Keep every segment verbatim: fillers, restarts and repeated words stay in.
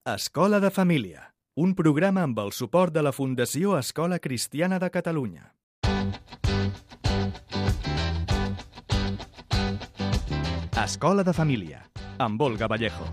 Escola de Família, un programa amb el suport de la Fundació Escola Cristiana de Catalunya. Escola de Família, amb Olga Vallejo.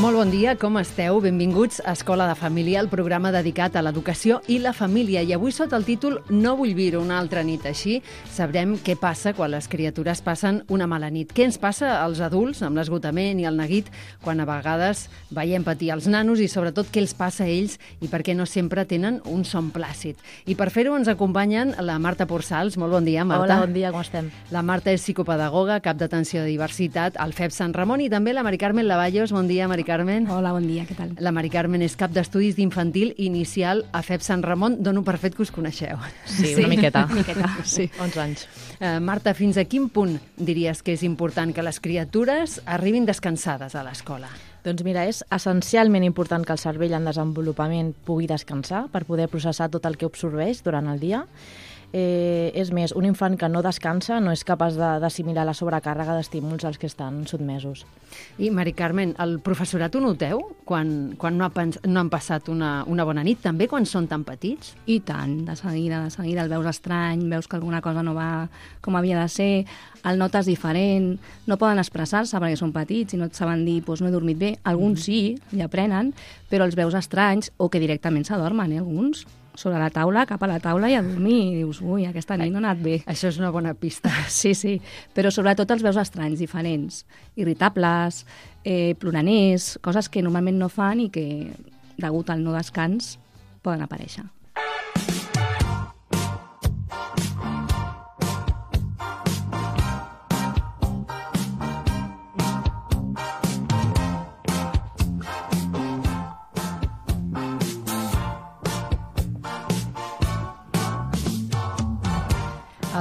Molt bon dia, com esteu? Benvinguts a Escola de Família, el programa dedicat a l'educació i la família. I avui sota el títol No vull viure una altra nit així, sabrem què passa quan les criatures passen una mala nit. Què ens passa als adults amb l'esgotament i el neguit quan a vegades veiem patir els nanos i sobretot què els passa a ells i per què no sempre tenen un son plàcid. I per fer-ho ens acompanyen la Marta Porsals. Molt bon dia, Marta. Hola, bon dia, com estem? La Marta és psicopedagoga, cap d'atenció de diversitat al F E P Sant Ramon, i també la Mari Carmen Lavallos. Bon dia, Mari Carmen. Hola, bon dia, què tal? La Mari Carmen és cap d'estudis d'infantil inicial a F E P Sant Ramon. Dono per fet que us coneixeu. Sí, una miqueta. Una miqueta. Sí. onze anys. Uh, Marta, fins a quin punt diries que és important que les criatures arribin descansades a l'escola? Doncs mira, és essencialment important que el cervell en desenvolupament pugui descansar per poder processar tot el que absorbeix durant el dia. Eh, és més, un infant que no descansa no és capaç d'assimilar la sobrecàrrega d'estímuls als que estan sotmesos. I, Mari Carmen, el professorat ho noteu quan, quan no, ha pens no han passat una, una bona nit, també quan són tan petits? I tant, de seguida, de seguida el veus estrany, veus que alguna cosa no va com havia de ser, el notes diferent, no poden expressar-se perquè són petits i no et saben dir doncs no he dormit bé. Alguns mm. sí, i aprenen, però els veus estranys o que directament s'adormen, eh, alguns. Sobre la taula, cap a la taula i a dormir. I dius, ui, aquesta nit no ha anat bé. Això és una bona pista. Sí, sí, però sobretot els veus estranys, diferents, irritables, eh, ploraners, coses que normalment no fan i que, degut al no descans, poden aparèixer.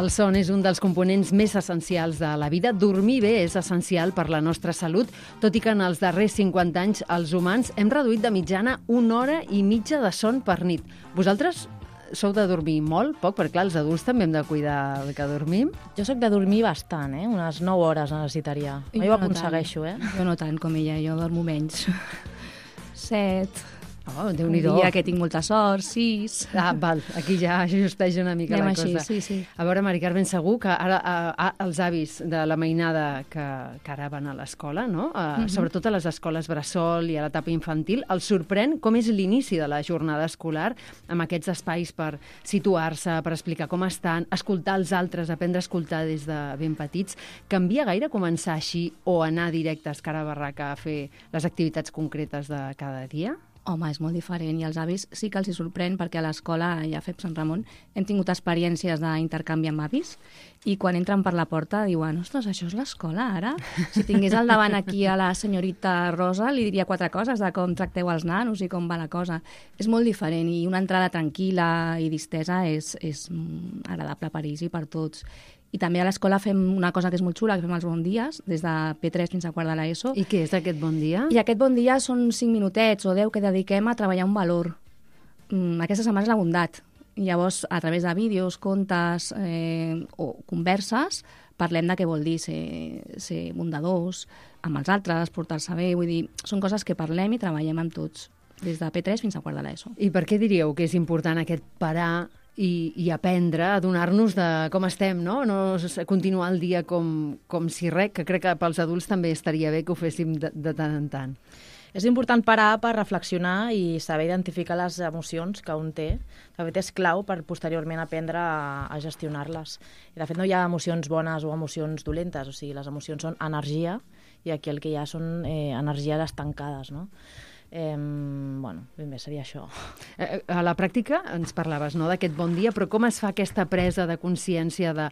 El son és un dels components més essencials de la vida. Dormir bé és essencial per la nostra salut, tot i que en els darrers cinquanta anys els humans hem reduït de mitjana una hora i mitja de son per nit. Vosaltres sou de dormir molt, poc? Perquè clar, els adults també hem de cuidar el que dormim. Jo sóc de dormir bastant, eh? Unes nou hores necessitaria. Jo, jo ho aconsegueixo, eh? Jo no tant com ella, jo dormo menys. Set... Oh, Déu-n'hi-do. Un dia que tinc molta sort, sis... Ah, val, aquí ja ajusteix una mica Anem la així, cosa. sí, sí. A veure, Mari Carmen, segur que ara a, a, els avis de la mainada que, que ara van a l'escola, no? A, mm-hmm. Sobretot a les escoles bressol i a l'etapa infantil, els sorprèn com és l'inici de la jornada escolar, amb aquests espais per situar-se, per explicar com estan, escoltar els altres, aprendre a escoltar des de ben petits. Canvia gaire començar així o anar directes cara a barraca a fer les activitats concretes de cada dia? Home, és molt diferent i als avis sí que els hi sorprèn perquè a l'escola, ja a F E P Sant Ramon, hem tingut experiències d'intercanvi amb avis i quan entren per la porta diuen ostres, això és l'escola ara? Si tingués al davant aquí a la senyorita Rosa li diria quatre coses de com tracteu els nanos i com va la cosa. És molt diferent i una entrada tranquil·la i distesa és, és agradable per ells i per tots. I també a l'escola fem una cosa que és molt xula, que fem els bon dies, des de P tres fins a quart de l'ESO. I què és aquest bon dia? I aquest bon dia són cinc minutets o deu que dediquem a treballar un valor. Mm, aquesta setmana és la bondat. I llavors, a través de vídeos, contes eh, o converses, parlem de què vol dir ser, ser bondadors amb els altres, portar-se bé. Vull dir, són coses que parlem i treballem amb tots, des de P tres fins a quart de l'ESO. I per què diríeu que és important aquest parar I, i aprendre a donar-nos de com estem, no? No continuar el dia com, com si res, que crec que pels adults també estaria bé que ho féssim de, de tant en tant. És important parar per reflexionar i saber identificar les emocions que un té. De fet, és clau per posteriorment aprendre a, a gestionar-les. I de fet, no hi ha emocions bones o emocions dolentes, o sigui, les emocions són energia i aquí el que hi ha són eh, energies estancades, no? Eh, bueno, ben bé, seria això. A la pràctica ens parlaves, no?, d'aquest bon dia, però com es fa aquesta presa de consciència de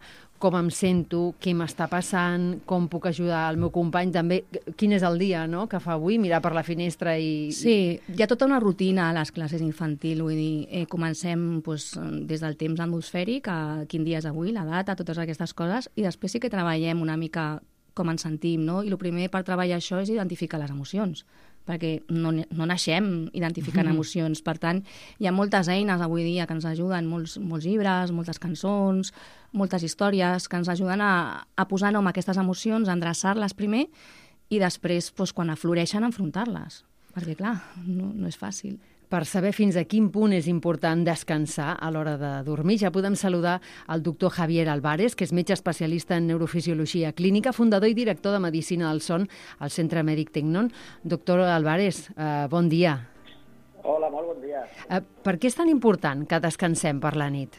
com em sento, què m'està passant, com puc ajudar el meu company, també quin és el dia, no?, que fa avui, mirar per la finestra i... Sí, hi ha tota una rutina a les classes infantil, vull dir, eh, comencem pues, des del temps atmosfèric, a quin dia és avui, la data, totes aquestes coses, i després sí que treballem una mica com ens sentim, no? I el primer per treballar això és identificar les emocions, perquè no, no naixem identificant mm. emocions. Per tant, hi ha moltes eines avui dia que ens ajuden, molts, molts llibres, moltes cançons, moltes històries que ens ajuden a, a posar nom a aquestes emocions, a endreçar-les primer i després, doncs, quan afloreixen, enfrontar-les. Perquè, clar, no, no és fàcil. Per saber fins a quin punt és important descansar a l'hora de dormir, ja podem saludar el doctor Javier Álvarez, que és metge especialista en neurofisiologia clínica, fundador i director de Medicina del Son al Centre Mèdic Tecnon. Doctor Álvarez, eh, bon dia. Hola, molt bon dia. Eh, per què és tan important que descansem per la nit?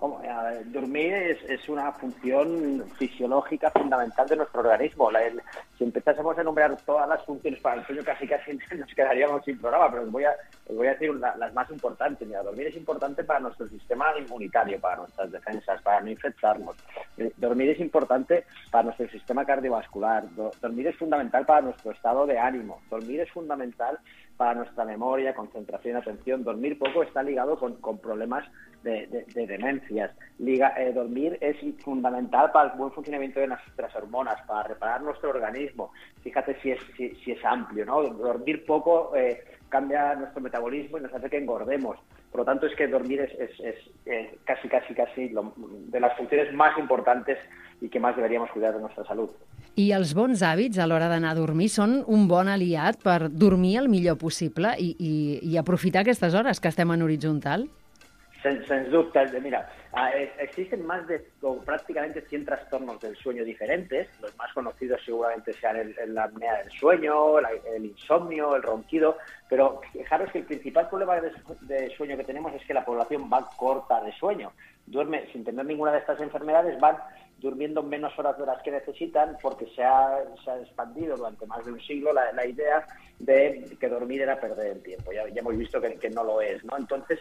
Como, eh, dormir es, es una función fisiológica fundamental de nuestro organismo. La, el, si empezásemos a enumerar todas las funciones para el sueño, casi casi nos quedaríamos sin programa, pero os voy a, os voy a decir la, las más importantes. Mira, dormir es importante para nuestro sistema inmunitario, para nuestras defensas, para no infectarnos. Eh, dormir es importante para nuestro sistema cardiovascular. Do, dormir es fundamental para nuestro estado de ánimo. Dormir es fundamental para nuestra memoria, concentración y atención. Dormir poco está ligado con, con problemas de, de, de demencias. Liga, eh, dormir es fundamental para el buen funcionamiento de nuestras hormonas, para reparar nuestro organismo. Fíjate si es, si, si es amplio, ¿no? Dormir poco eh, cambia nuestro metabolismo y nos hace que engordemos. Por lo tanto, es que dormir es, es, es, es casi, casi, casi lo, de las funciones más importantes i que més deberíem cuidar de nostra salut. I els bons hàbits a l'hora d'anar a dormir són un bon aliat per dormir el millor possible i, i, i aprofitar aquestes hores que estem en horitzontal? Sens, sens dubte. Mira, existen más de o prácticamente cien trastornos del sueño diferentes. Los más conocidos seguramente sean el, el, la apnea del sueño, la, el insomnio, el ronquido, pero fijaros que el principal problema de, de sueño que tenemos es que la población va corta de sueño. Duerme sin tener ninguna de estas enfermedades, van durmiendo menos horas de las que necesitan porque se ha, se ha expandido durante más de un siglo la, la idea de que dormir era perder el tiempo. Ya, ya hemos visto que, que no lo es, ¿no? Entonces,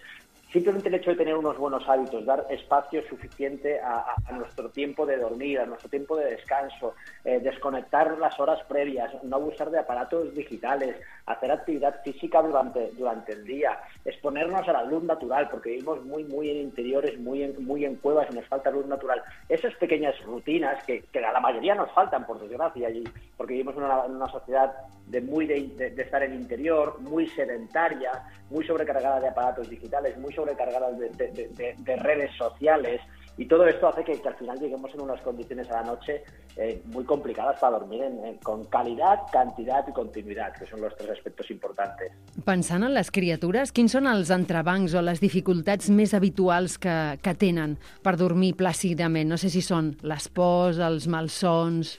simplemente el hecho de tener unos buenos hábitos, dar espacio suficiente a, a, a nuestro tiempo de dormir, a nuestro tiempo de descanso, eh, desconectar las horas previas, no abusar de aparatos digitales, hacer actividad física durante, durante el día, exponernos a la luz natural, porque vivimos muy, muy en interiores, muy en, muy en cuevas y nos falta luz natural. Esas pequeñas rutinas que, que a la mayoría nos faltan, por desgracia, y porque vivimos en una, en una sociedad de, muy de, de, de estar en interior, muy sedentaria, muy sobrecargada de aparatos digitales, muy sobrecargadas de, de, de, de redes sociales, y todo esto hace que, que al final lleguemos en unas condiciones a la noche eh, muy complicadas para dormir en, en, con calidad, cantidad i continuïtat, que són els tres aspectes importants. Pensant en les criatures, quins són els entrebancs o les dificultats més habituals que, que tenen per dormir plàcidament? No sé si són les pors, els malsons...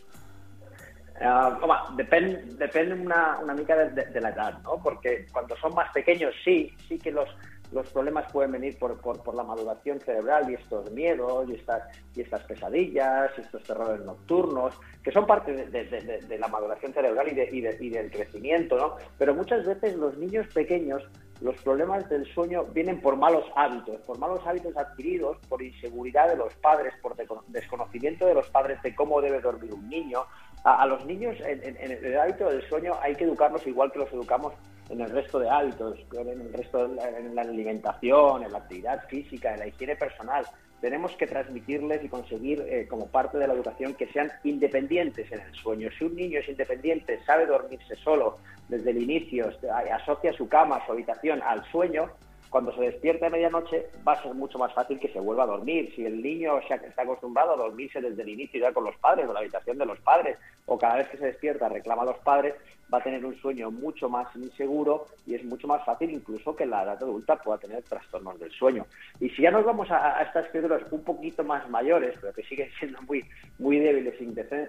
Uh, home, depèn, depèn una, una mica de, de, de la edad, ¿no? Porque cuando son más pequeños sí, sí que los, los problemas pueden venir por, por, por la maduración cerebral y estos miedos y estas, y estas pesadillas, y estos terrores nocturnos, que son parte de, de, de, de la maduración cerebral y, de, y, de, y del crecimiento, ¿no? Pero muchas veces los niños pequeños, los problemas del sueño vienen por malos hábitos, por malos hábitos adquiridos, por inseguridad de los padres, por desconocimiento de los padres de cómo debe dormir un niño. A, a los niños en, en, en el hábito del sueño hay que educarlos igual que los educamos en el resto de hábitos, en el resto de la, en la alimentación, en la actividad física, en la higiene personal. Tenemos que transmitirles y conseguir eh, como parte de la educación que sean independientes en el sueño. Si un niño es independiente, sabe dormirse solo desde el inicio, asocia su cama, su habitación al sueño, cuando se despierta a medianoche va a ser mucho más fácil que se vuelva a dormir. Si el niño está acostumbrado a dormirse desde el inicio ya con los padres, o la habitación de los padres, o cada vez que se despierta reclama a los padres, va a tener un sueño mucho más inseguro y es mucho más fácil incluso que en la edad adulta pueda tener trastornos del sueño. Y si ya nos vamos a, a estas criaturas un poquito más mayores, pero que siguen siendo muy, muy débiles e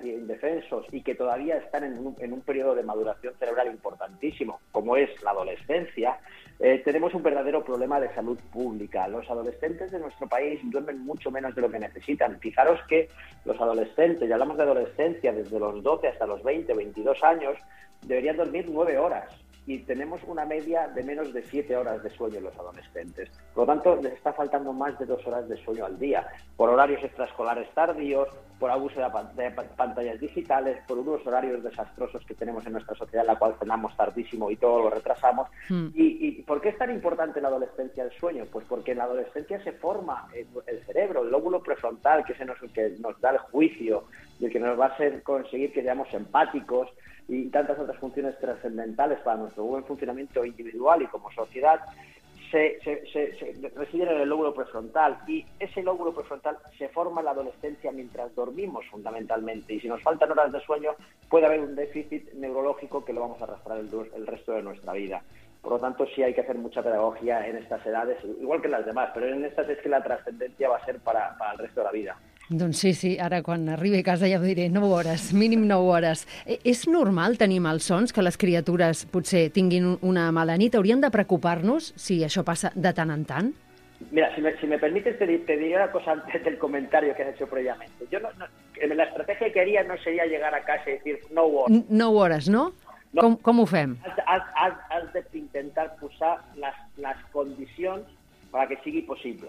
indefensos y que todavía están en un, en un periodo de maduración cerebral importantísimo, como es la adolescencia, eh, tenemos un verdadero problema de salud pública. Los adolescentes de nuestro país duermen mucho menos de lo que necesitan. Fijaros que los adolescentes, y hablamos de adolescencia desde los doce hasta los veinte, veintidós años, deberían dormir nueve horas y tenemos una media de menos de siete horas de sueño en los adolescentes. Por lo tanto, les está faltando más de dos horas de sueño al día, por horarios extraescolares tardíos, por abuso de, de pantallas digitales, por unos horarios desastrosos que tenemos en nuestra sociedad, en la cual cenamos tardísimo y todo lo retrasamos. Mm. ¿Y, ¿Y por qué es tan importante en la adolescencia el sueño? Pues porque en la adolescencia se forma el, el cerebro, el lóbulo prefrontal, que es el que nos da el juicio y el que nos va a hacer conseguir que seamos empáticos, y tantas otras funciones trascendentales para nuestro buen funcionamiento individual y como sociedad, se, se, se, se residen en el lóbulo prefrontal, y ese lóbulo prefrontal se forma en la adolescencia mientras dormimos fundamentalmente, y si nos faltan horas de sueño puede haber un déficit neurológico que lo vamos a arrastrar el, el resto de nuestra vida. Por lo tanto, sí hay que hacer mucha pedagogía en estas edades, igual que en las demás, pero en estas es que la trascendencia va a ser para, para el resto de la vida. Doncs sí, sí, ara quan arribi a casa ja ho diré, nou hores, mínim nou hores. Eh, és normal tenir malsons, que les criatures potser tinguin una mala nit? Hauríem de preocupar-nos si això passa de tant en tant? Mira, si me, si me permites, te, te diré una cosa antes del comentario que has hecho previamente. Yo no, no, la estrategia que haría no sería llegar a casa y decir nou hores. Nou hores, no? no. Com, com ho fem? Has, has, has, has d'intentar posar les, les condicions perquè sigui possible.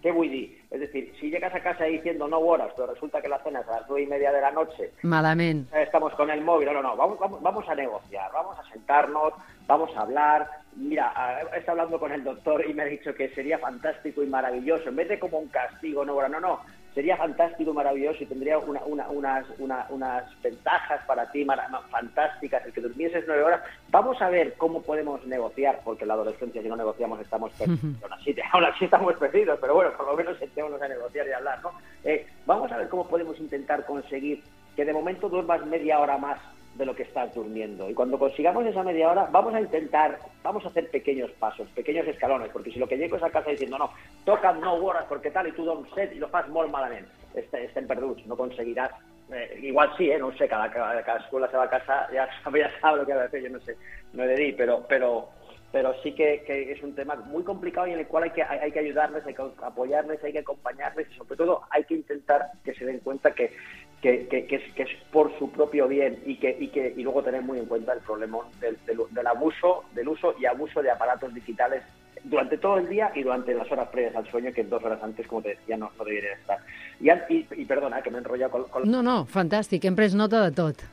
¿Qué voy a decir? Es decir, si llegas a casa diciendo no horas, pero resulta que la cena es a las nueve y media de la noche, malament, estamos con el móvil, no, no, no, vamos, vamos, vamos a negociar, vamos a sentarnos, vamos a hablar. Mira, he estado hablando con el doctor y me ha dicho que sería fantástico y maravilloso, en vez de como un castigo, no, no, no, sería fantástico y maravilloso y tendría una, una, unas, una, unas ventajas para ti fantásticas el que durmieses nueve horas. Vamos a ver cómo podemos negociar, porque en la adolescencia si no negociamos estamos perdidos, aún así, aún así estamos perdidos, pero bueno, por lo menos sentémonos a negociar y a hablar, ¿no? Eh, vamos a ver cómo podemos intentar conseguir que de momento duermas media hora más de lo que estás durmiendo. Y cuando consigamos esa media hora, vamos a intentar, vamos a hacer pequeños pasos, pequeños escalones, porque si lo que llego es a casa diciendo, no, tocan nou hores perquè tal, i tu dorms set i lo fas molt malament, estem perduts, no conseguiràs. Eh, igual sí, eh, no ho sé, cada, cada, cadascú a la seva casa ja sabe, ja sabe lo que ha de fer, yo no sé, no he de dir, pero, pero, pero sí que, que es un tema muy complicado y en el cual hay que, hay, hay que ayudarles, hay que apoyarles, hay que acompañarles y sobre todo hay que intentar que se den cuenta que Que, que, que, es, que es por su propio bien y que, y que y luego tener muy en cuenta el problema del, del, del abuso, del uso y abuso de aparatos digitales durante todo el día y durante las horas previas al sueño, que dos horas antes, como te decía, no, no deberían estar. Y, y, y perdona, que me he enrollado con... con... No, no, fantàstic, hem pres nota de tot.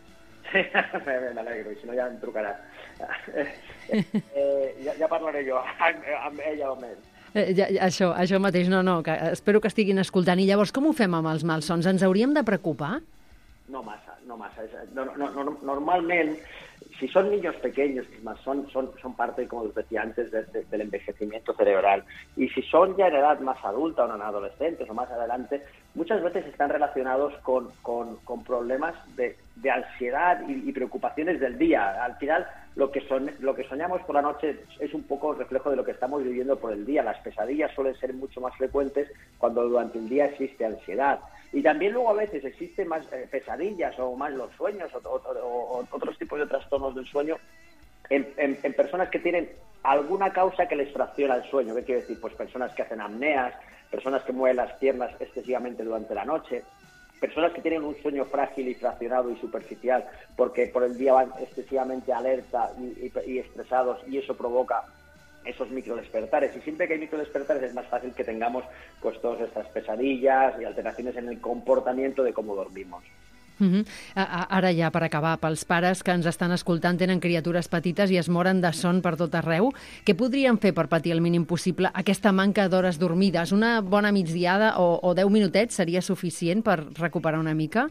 me alegro, i si no ja em trucaràs. eh, ja, ja parlaré jo amb, amb ella o amb ell. Eh, ja, això, això mateix, no, no, que espero que estiguin escoltant. I llavors, com ho fem amb els malsons? Ens hauríem de preocupar? No massa, no massa. No, no, no, normalment, si son niños pequeños, son, son, son parte, como os decía antes, de, de, del envejecimiento cerebral. Y si son ya en edad más adulta o en adolescentes o más adelante, muchas veces están relacionados con, con, con problemas de, de ansiedad y, y preocupaciones del día. Al final, lo que, son, lo que soñamos por la noche es un poco reflejo de lo que estamos viviendo por el día. Las pesadillas suelen ser mucho más frecuentes cuando durante el día existe ansiedad. Y también luego a veces existen más eh, pesadillas o más los sueños o, o, o, o otros tipos de trastornos del sueño en, en, en personas que tienen alguna causa que les fracciona el sueño. ¿Qué quiere decir? Pues personas que hacen apneas, personas que mueven las piernas excesivamente durante la noche, personas que tienen un sueño frágil y fraccionado y superficial porque por el día van excesivamente alerta y, y, y estresados, y eso provoca esos microdespertares. Y siempre que hay microdespertares es más fácil que tengamos pues todas estas pesadillas y alteraciones en el comportamiento de cómo dormimos. Uh-huh. Ara ja, per acabar, pels pares que ens estan escoltant tenen criatures petites i es moren de son per tot arreu, què podrien fer per patir el mínim possible aquesta manca d'hores dormides? Una bona migdiada o, o deu minutets seria suficient per recuperar una mica?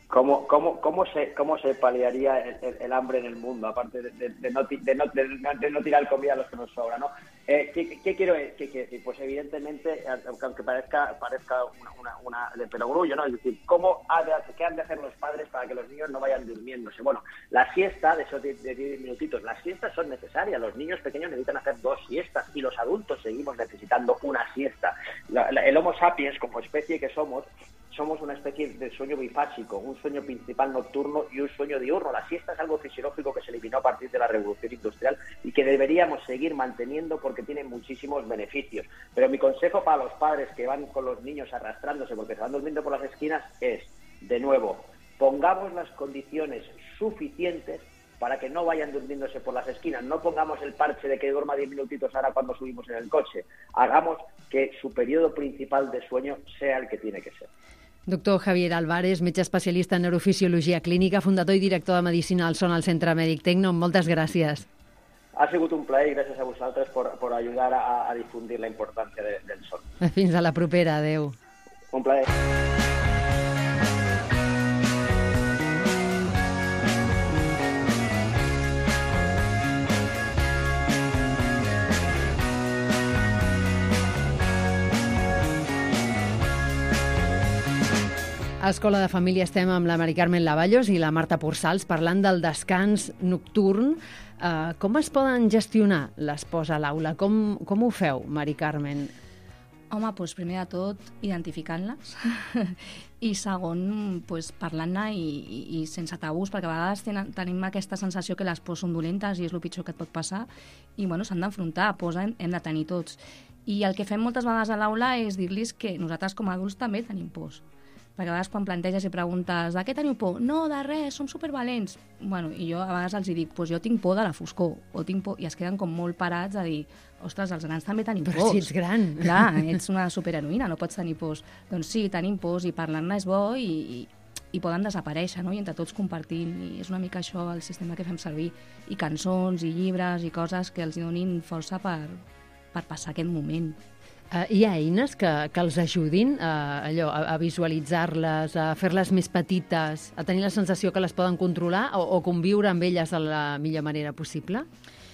¿Cómo, cómo, cómo, se, ¿Cómo se paliaría el, el, el hambre en el mundo, aparte de, de, de, no, de, no, de, de no tirar comida a los que nos sobra, ¿no? Eh, ¿qué, ¿Qué quiero decir? Pues evidentemente, aunque parezca, parezca una, una, una de perogrullo, ¿no? Es decir, ¿cómo ha de, ¿qué han de hacer los padres para que los niños no vayan durmiéndose? Bueno, la siesta, de esos diez minutitos, las siestas son necesarias. Los niños pequeños necesitan hacer dos siestas y los adultos seguimos necesitando una siesta. La, la, el Homo sapiens, como especie que somos, somos una especie de sueño bifásico, un sueño principal nocturno y un sueño diurno. La siesta es algo fisiológico que se eliminó a partir de la revolución industrial y que deberíamos seguir manteniendo porque tiene muchísimos beneficios. Pero mi consejo para los padres que van con los niños arrastrándose porque se van durmiendo por las esquinas es, de nuevo, pongamos las condiciones suficientes para que no vayan durmiéndose por las esquinas. No pongamos el parche de que duerma diez minutitos ahora cuando subimos en el coche. Hagamos que su periodo principal de sueño sea el que tiene que ser. Doctor Javier Álvarez, metge especialista en neurofisiologia clínica, fundador i director de Medicina del Son al Centre Mèdic Tecno, moltes gràcies. Ha sigut un plaer i gràcies a vosaltres por, por ayudar a, a difundir la importància de, del son. Fins a la propera, adeu. Un plaer. A Escola de Família estem amb la Mari Carmen Lavallos i la Marta Porsals parlant del descans nocturn. Uh, com es poden gestionar les pors a l'aula? Com, com ho feu, Mari Carmen? Home, doncs primer de tot, identificant-les i segon, doncs, parlant-ne i, i, i sense tabús, perquè a vegades tenen, tenim aquesta sensació que les pors són dolentes i és el pitjor que et pot passar i bueno, s'han d'enfrontar, pors hem, hem de tenir tots. I el que fem moltes vegades a l'aula és dir-los que nosaltres com a adults també tenim pors. Perquè a vegades quan planteges i preguntes de què teniu por? No, de res, som supervalents. Bueno, i jo a vegades els dic, doncs jo tinc por de la foscor, o tinc por, i es queden com molt parats a dir, ostres, els grans també tenim Però pors. Però si ets gran. Clar, ets una superheroïna, no pots tenir pors. Doncs sí, tenim pors i parlant-ne és bo i, i, i poden desaparèixer, no? I entre tots compartint, i és una mica això el sistema que fem servir. I cançons, i llibres, i coses que els donin força per, per passar aquest moment. Uh, hi ha eines que, que els ajudin uh, allò, a, a visualitzar-les, a fer-les més petites, a tenir la sensació que les poden controlar o, o conviure amb elles de la millor manera possible?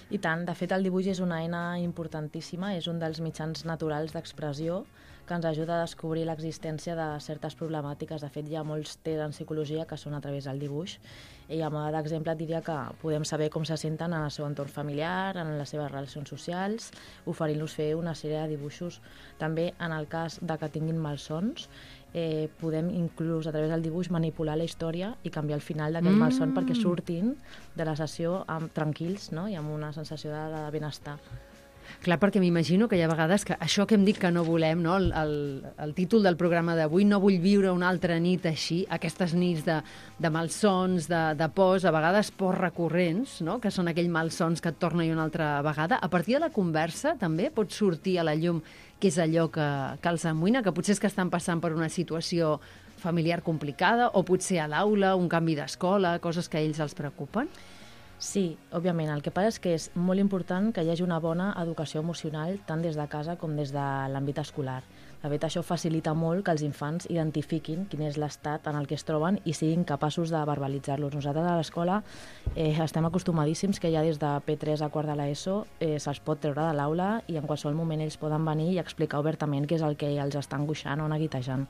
I tant, de fet el dibuix és una eina importantíssima, és un dels mitjans naturals d'expressió que ens ajuda a descobrir l'existència de certes problemàtiques. De fet, hi ha molts tests en psicologia que són a través del dibuix. I a mode d'exemple et diria que podem saber com se senten en el seu entorn familiar, en les seves relacions socials, oferint-los fer una sèrie de dibuixos. També, en el cas de que tinguin malsons, eh, podem inclús a través del dibuix manipular la història i canviar el final d'aquell mm. malson perquè surtin de la sessió amb, tranquils, no? I amb una sensació de, de benestar. Clar, perquè m'imagino que hi ha vegades que això que hem dit que no volem, no? el, el, el títol del programa d'avui, no vull viure una altra nit així, aquestes nits de, de malsons, de, de pors, a vegades pors recurrents, no? Que són aquells malsons que et torna una altra vegada. A partir de la conversa també pot sortir a la llum què és allò que, que els amoïna, que potser és que estan passant per una situació familiar complicada o potser a l'aula, un canvi d'escola, coses que a ells els preocupen? Sí, òbviament. El que passa és que és molt important que hi hagi una bona educació emocional tant des de casa com des de l'àmbit escolar. De fet, això facilita molt que els infants identifiquin quin és l'estat en el que es troben i siguin capaços de verbalitzar-los. Nosaltres a l'escola eh, estem acostumadíssims que ja des de P tres a quart de l'ESO eh, se'ls pot treure de l'aula i en qualsevol moment ells poden venir i explicar obertament què és el que els està angoixant o neguitejant.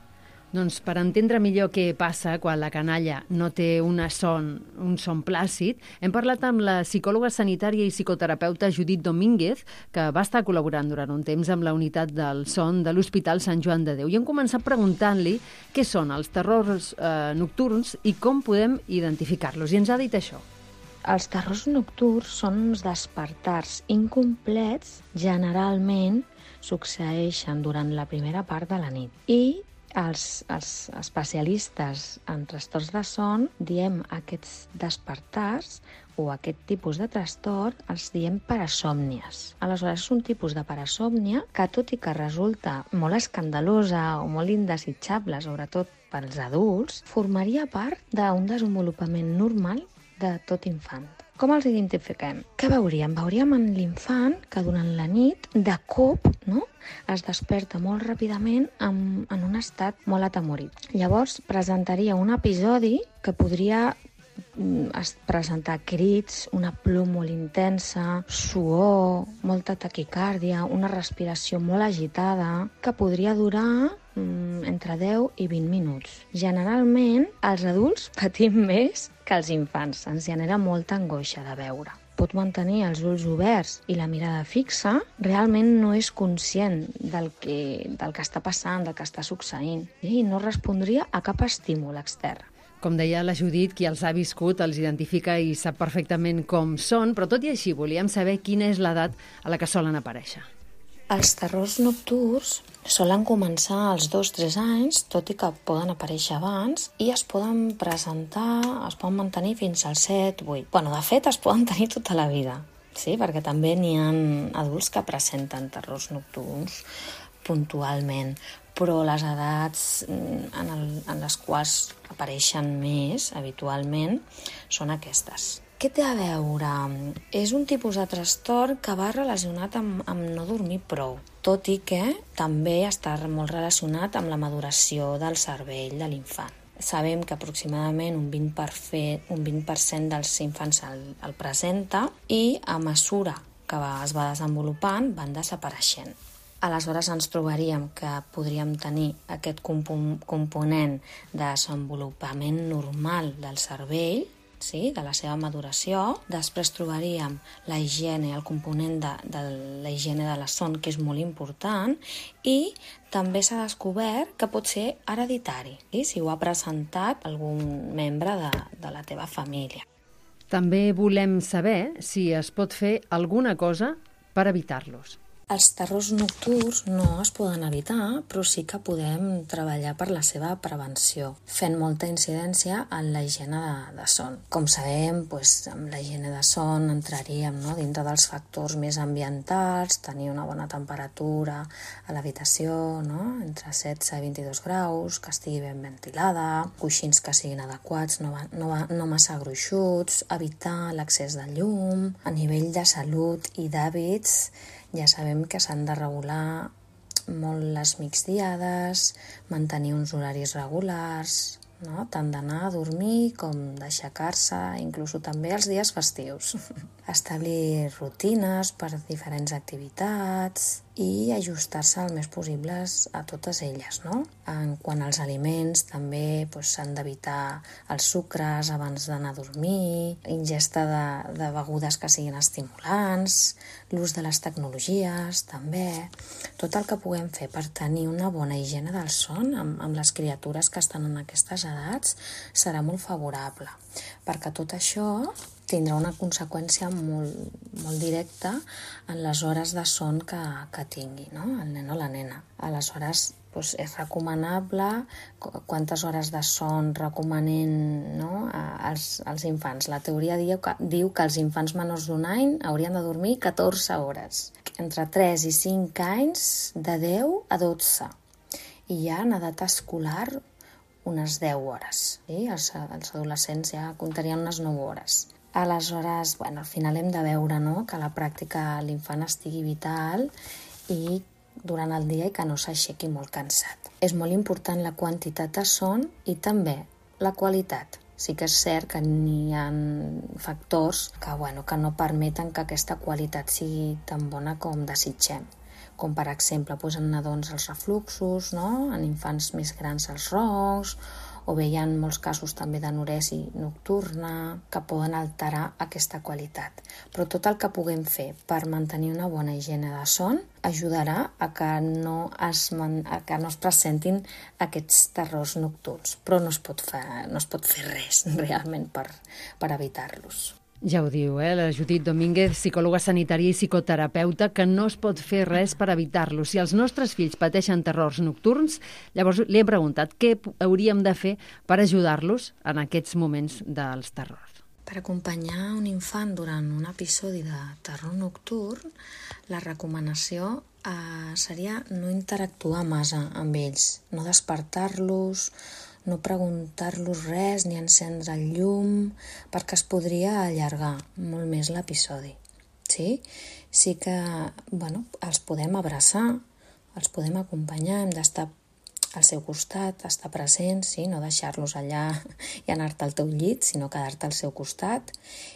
Doncs per entendre millor què passa quan la canalla no té una son, un son plàcid, hem parlat amb la psicòloga sanitària i psicoterapeuta Judit Domínguez, que va estar col·laborant durant un temps amb la unitat del son de l'Hospital Sant Joan de Déu. I hem començat preguntant-li què són els terrors eh, nocturns i com podem identificar-los. I ens ha dit això. Els terrors nocturns són uns despertars incomplets, generalment succeeixen durant la primera part de la nit. I Els, els especialistes en trastorns de son diem aquests despertars o aquest tipus de trastorn els diem parasòmnies. Aleshores, és un tipus de parasòmnia que, tot i que resulta molt escandalosa o molt indesitjable, sobretot pels adults, formaria part d'un desenvolupament normal de tot infant. Com els identifiquem? Què veuríem? Veuríem en l'infant que durant la nit, de cop, no?, es desperta molt ràpidament en, en un estat molt atemorit. Llavors presentaria un episodi que podria es presentar crits, una plor molt intensa, suor, molta taquicàrdia, una respiració molt agitada, que podria durar mm, entre deu i vint minuts. Generalment, els adults patim més que els infants. Ens genera molta angoixa de veure. Pot mantenir els ulls oberts i la mirada fixa, realment no és conscient del que, del que està passant, del que està succeint, i no respondria a cap estímul extern. Com deia la Judit, qui els ha viscut els identifica i sap perfectament com són, però tot i així volíem saber quina és l'edat a la que solen aparèixer. Els terrors nocturns solen començar als dos o tres anys, tot i que poden aparèixer abans, i es poden presentar, es poden mantenir fins als set o vuit. Bueno, de fet, es poden tenir tota la vida, sí? Perquè també n'hi ha adults que presenten terrors nocturns puntualment, però les edats en, el, en les quals apareixen més habitualment són aquestes. Què té a veure? És un tipus de trastorn que va relacionat amb, amb no dormir prou, tot i que també està molt relacionat amb la maduració del cervell de l'infant. Sabem que aproximadament un vint per cent, un vint per cent dels infants el, el presenta i a mesura que va, es va desenvolupant van desapareixent. aleshores ens trobaríem que podríem tenir aquest compo- component de desenvolupament normal del cervell, sí, de la seva maduració. Després trobaríem la higiene, el component de, de la higiene de la son, que és molt important, i també s'ha descobert que pot ser hereditari, sí, si ho ha presentat algun membre de, de la teva família. També volem saber si es pot fer alguna cosa per evitar-los. Els terrors nocturns no es poden evitar, però sí que podem treballar per la seva prevenció, fent molta incidència en la higiene de, de son. Com sabem, doncs, amb la higiene de son entraríem, no?, dintre dels factors més ambientals, tenir una bona temperatura a l'habitació, no?, entre setze i vint-i-dos graus, que estigui ben ventilada, coixins que siguin adequats, no, no, no massa gruixuts, evitar l'accés de llum. A nivell de salut i d'hàbits, ja sabem que s'han de regular molt les migdiades, mantenir uns horaris regulars, no?, tant d'anar a dormir com d'aixecar-se, inclús també els dies festius. Establir rutines per diferents activitats i ajustar-se el més possibles a totes elles, no? En quant als aliments, també doncs, s'han d'evitar els sucres abans d'anar a dormir, ingesta de, de begudes que siguin estimulants, l'ús de les tecnologies, també. Tot el que puguem fer per tenir una bona higiene del son amb, amb les criatures que estan en aquestes edats serà molt favorable, perquè tot això tindrà una conseqüència molt, molt directa en les hores de son que, que tingui, no?, el nen o la nena. Aleshores, doncs és recomanable quantes hores de son recomanen, no?, als, als infants. La teoria diu que, diu que els infants menors d'un any haurien de dormir catorze hores. Entre tres i cinc anys, de deu a dotze. I ja en edat escolar, unes deu hores. Sí? Els, els adolescents ja comptarien unes nou hores. Aleshores, bueno, al final hem de veure, no?, que a la pràctica l'infant estigui vital i durant el dia i que no s'aixequi molt cansat. És molt important la quantitat de son i també la qualitat. Sí que és cert que n'hi ha factors que, bueno, que no permeten que aquesta qualitat sigui tan bona com desitgem. Com per exemple, doncs, en nadons els refluxos, no?, en infants més grans els roncs, o bé hi ha molts casos també d'anoresi nocturna que poden alterar aquesta qualitat. Però tot el que puguem fer per mantenir una bona higiene de son ajudarà a que no es, a que no es presentin aquests terrors nocturns, però no es pot fer, no es pot fer res realment per, per evitar-los. Ja ho diu, eh, la Judit Domínguez, psicòloga sanitària i psicoterapeuta, que no es pot fer res per evitar-los. Si els nostres fills pateixen terrors nocturns, llavors li he preguntat què hauríem de fer per ajudar-los en aquests moments dels terrors. Per acompanyar un infant durant un episodi de terror nocturn, la recomanació eh, seria no interactuar massa amb ells, no despertar-los, no preguntar-los res ni encendre el llum, perquè es podria allargar molt més l'episodi. Sí? Sí que, bueno, els podem abraçar, els podem acompanyar, hem d'estar al seu costat, estar presents, sí? No deixar-los allà i anar-te al teu llit, sinó quedar-te al seu costat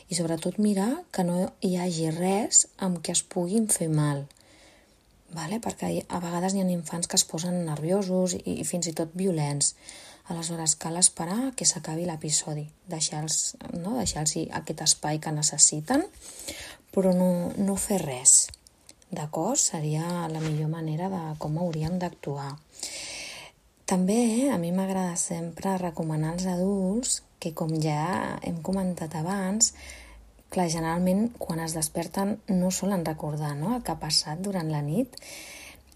i sobretot mirar que no hi hagi res amb què es puguin fer mal. Vale? Perquè a vegades hi ha infants que es posen nerviosos i, i fins i tot violents. Aleshores, cal esperar que s'acabi l'episodi, deixar-los, no? deixar-los aquest espai que necessiten, però no, no fer res. D'acord? Seria la millor manera de com hauríem d'actuar. També eh, a mi m'agrada sempre recomanar als adults que, com ja hem comentat abans, clar, generalment quan es desperten no solen recordar, no?, el que ha passat durant la nit,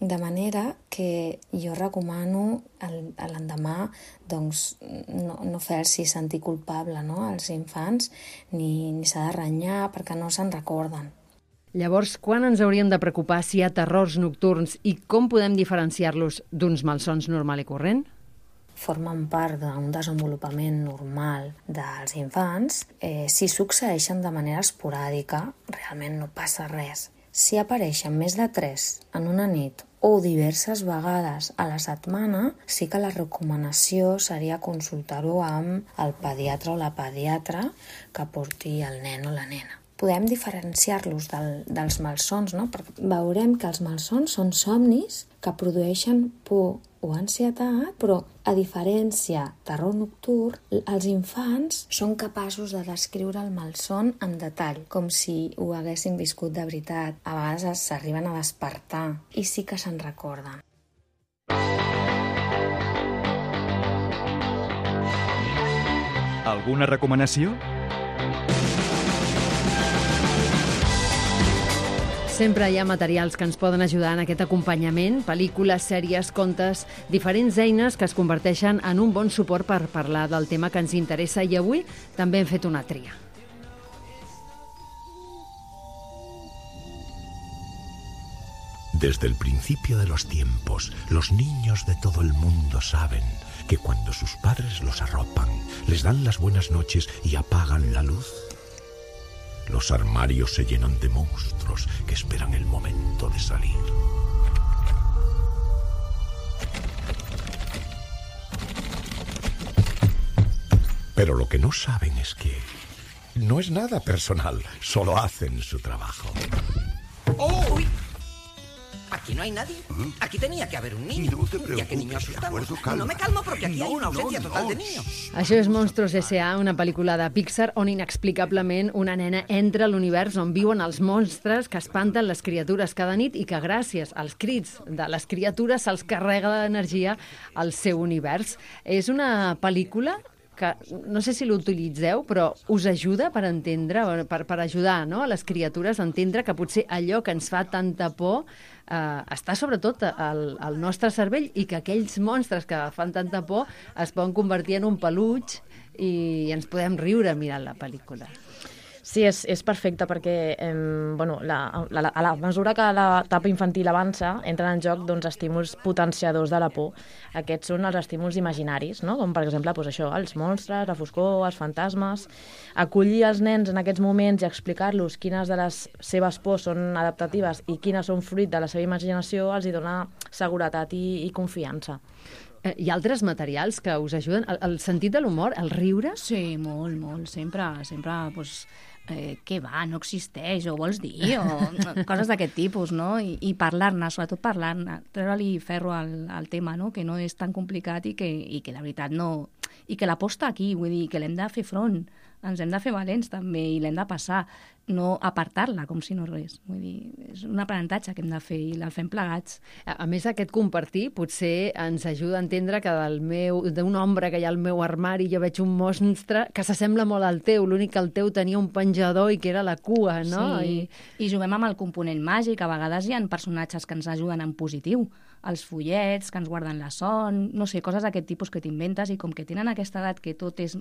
de manera que jo recomano l'endemà doncs, no, no fer-s'hi sentir culpable, no?, als infants, ni, ni s'ha de renyar perquè no se'n recorden. Llavors, quan ens hauríem de preocupar si hi ha terrors nocturns i com podem diferenciar-los d'uns malsons normal i corrent? Formen part d'un desenvolupament normal dels infants. Eh, si succeeixen de manera esporàdica, realment no passa res. Si apareixen més de tres en una nit o diverses vegades a la setmana, sí que la recomanació seria consultar-ho amb el pediatre o la pediatra que porti el nen o la nena. podem diferenciar-los del, dels malsons, no? Perquè veurem que els malsons són somnis que produeixen por o ansietat, però a diferència terror nocturn, els infants són capaços de descriure el malson en detall, com si ho haguessin viscut de veritat. A vegades s'arriben a despertar i sí que se'n recorden. Alguna recomanació? Sempre hi ha materials que ens poden ajudar en aquest acompanyament, pel·lícules, sèries, contes, diferents eines que es converteixen en un bon suport per parlar del tema que ens interessa i avui també hem fet una tria. Desde el principio de los tiempos, los niños de todo el mundo saben que cuando sus padres los arropan, les dan las buenas noches y apagan la luz, los armarios se llenan de monstruos que esperan el momento de salir. Pero lo que no saben es que no es nada personal, solo hacen su trabajo. ¡Oh! ¡Uy! Aquí no hay nadie. Aquí tenía que haber un niño. No te preocupes, ¿Y a qué niño asustamos? de acuerdo, calma. No me calmo porque aquí No, hay una ausencia no, total no. de niños. Això és Monstruos S A, una pel·lícula de Pixar on inexplicablement una nena entra a l'univers on viuen els monstres que espanten les criatures cada nit i que gràcies als crits de les criatures se'ls carrega d'energia al seu univers. És una pel·lícula que no sé si l'utilitzeu, però us ajuda per entendre, per, per ajudar, no?, a les criatures a entendre que potser allò que ens fa tanta por eh, està sobretot al, al nostre cervell i que aquells monstres que fan tanta por es poden convertir en un peluig i ens podem riure mirant la pel·lícula. Sí, és, és perfecte perquè eh, bueno, la, la, a la mesura que l'etapa infantil avança, entren en joc doncs, estímuls potenciadors de la por. Aquests són els estímuls imaginaris, no? Com per exemple doncs, això, els monstres, la foscor, els fantasmes. Acollir els nens en aquests moments i explicar-los quines de les seves pors són adaptatives i quines són fruit de la seva imaginació els hi dona seguretat i, i confiança. Hi ha altres materials que us ajuden? El, el sentit de l'humor, el riure? Sí, molt, molt. Sempre, sempre, doncs, eh, què va, no existeix, o vols dir, o coses d'aquest tipus, no? I, i parlar-ne, sobretot parlar-ne, treure-li ferro al, al tema, no? Que no és tan complicat i que, i que la veritat no... I que la por està aquí, vull dir, que l'hem de fer front, ens hem de fer valents també i l'hem de passar, no apartar-la com si no res. Vull dir, és un aprenentatge que hem de fer i el fem plegats. A, a més, aquest compartir potser ens ajuda a entendre que del meu, d'un ombra que hi ha al meu armari jo veig un monstre que s'assembla molt al teu, l'únic que el teu tenia un penjador i que era la cua, no? Sí, i, i juguem amb el component màgic, a vegades hi ha personatges que ens ajuden en positiu, els follets, que ens guarden la son, no sé, coses d'aquest tipus que t'inventes i com que tenen aquesta edat que tot és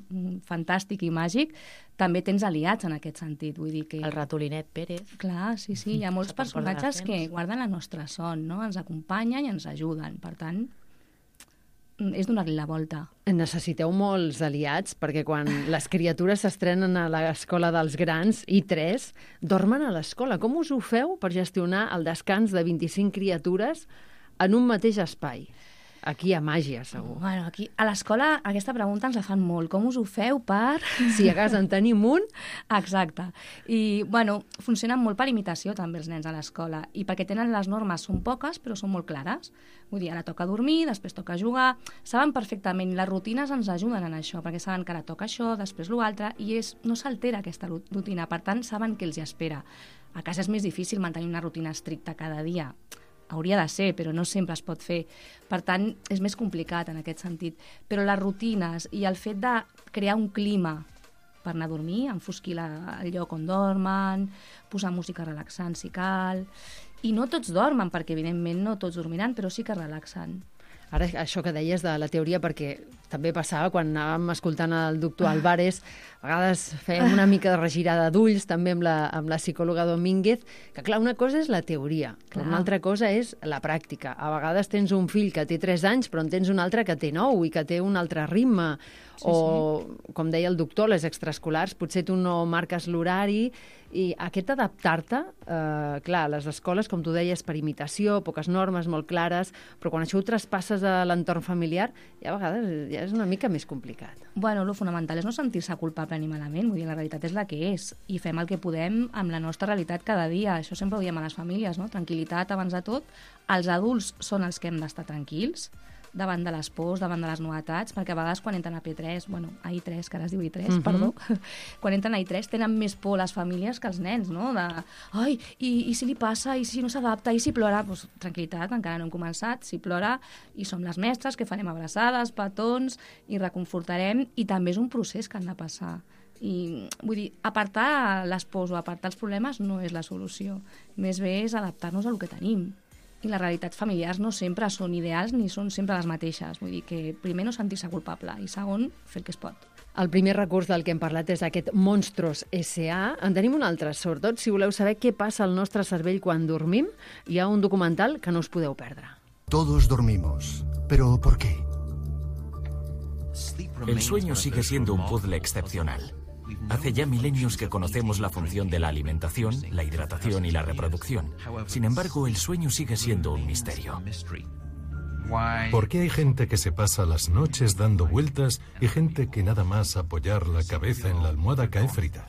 fantàstic i màgic, també tens aliats en aquest sentit, vull dir que... El ratolinet Pérez. Clar, sí, sí, hi ha molts personatges que guarden la nostra son, no? Ens acompanyen i ens ajuden, per tant, és donar-li la volta. Necessiteu molts aliats, perquè quan les criatures s'estrenen a l'escola dels grans, i tres, dormen a l'escola. Com us ho feu per gestionar el descans de vint-i-cinc criatures en un mateix espai? Aquí hi ha màgia, segur. Bueno, aquí, a l'escola aquesta pregunta ens la fan molt. Com us ho feu per... Si a casa en tenim un... Exacte. I, bueno, funcionen molt per imitació també els nens a l'escola i perquè tenen les normes, són poques, però són molt clares. Vull dir, ara toca dormir, després toca jugar... Saben perfectament, les rutines ens ajuden en això, perquè saben que ara toca això, després l'altre, i és, no s'altera aquesta rutina. Per tant, saben què els hi espera. A casa és més difícil mantenir una rutina estricta cada dia. Hauria de ser, però no sempre es pot fer. Per tant, és més complicat en aquest sentit. Però les rutines i el fet de crear un clima per anar a dormir, enfosquir la, el lloc on dormen, posar música relaxant si cal... I no tots dormen, perquè evidentment no tots dormiran, però sí que relaxen. Ara, això que deies de la teoria, perquè també passava quan anàvem escoltant el doctor Álvarez, a vegades fèiem una mica de regirada d'ulls, també amb la, amb la psicòloga Domínguez, que clar, una cosa és la teoria, però una altra cosa és la pràctica. A vegades tens un fill que té tres anys, però en tens un altre que té nou i que té un altre ritme. Sí, o, sí. Com deia el doctor, les extraescolars, potser tu no marques l'horari, i aquest adaptar-te, eh, clar, les escoles, com tu deies, per imitació, poques normes molt clares, però quan això ho traspasses a l'entorn familiar, ja a vegades ja és una mica més complicat. Bueno, lo fonamental és no sentir-se culpable ni malament, vull dir, la realitat és la que és, i fem el que podem amb la nostra realitat cada dia. Això sempre ho diem a les famílies, no? Tranquil·litat abans de tot. Els adults són els que hem d'estar tranquils davant de les pors, davant de les novetats, perquè a vegades quan entren a P tres, bueno, a I tres, que ara es diu I tres, uh-huh. perdó, quan entren a I tres tenen més por les famílies que els nens, no? De, ai, i, i si li passa, i si no s'adapta, i si plora, doncs tranquil·litat, encara no hem començat, si plora, i som les mestres, que farem abraçades, petons, i reconfortarem, i també és un procés que han de passar. I, vull dir, apartar les pors o apartar els problemes no és la solució, més bé és adaptar-nos al que tenim. I les realitats familiars no sempre són ideals ni són sempre les mateixes. Vull dir que primer no sentir-se culpable i segon, fer el que es pot. El primer recurs del que hem parlat és aquest Monstros S A. En tenim un altre, sobretot si voleu saber què passa al nostre cervell quan dormim. Hi ha un documental que no us podeu perdre. Todos dormimos, pero ¿por qué? El sueño sigue siendo un puzzle excepcional. Hace ya milenios que conocemos la función de la alimentación, la hidratación y la reproducción. Sin embargo, el sueño sigue siendo un misterio. ¿Por qué hay gente que se pasa las noches dando vueltas y gente que nada más apoyar la cabeza en la almohada cae frita?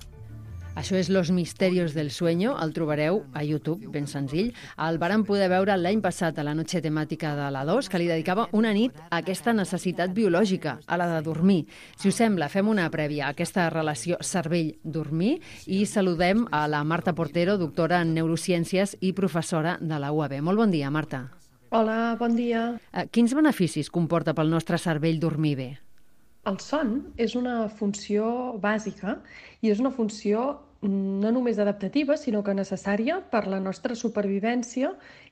Això és Los misterios del sueño, el trobareu a YouTube, ben senzill. El vàrem poder veure l'any passat a la noche temàtica de la dos, que li dedicava una nit a aquesta necessitat biològica, a la de dormir. Si us sembla, fem una prèvia a aquesta relació cervell-dormir i saludem a la Marta Portero, doctora en neurociències i professora de la U A B. Molt bon dia, Marta. Hola, bon dia. Quins beneficis comporta pel nostre cervell dormir bé? El son és una funció bàsica i és una funció no només adaptativa, sinó que necessària per la nostra supervivència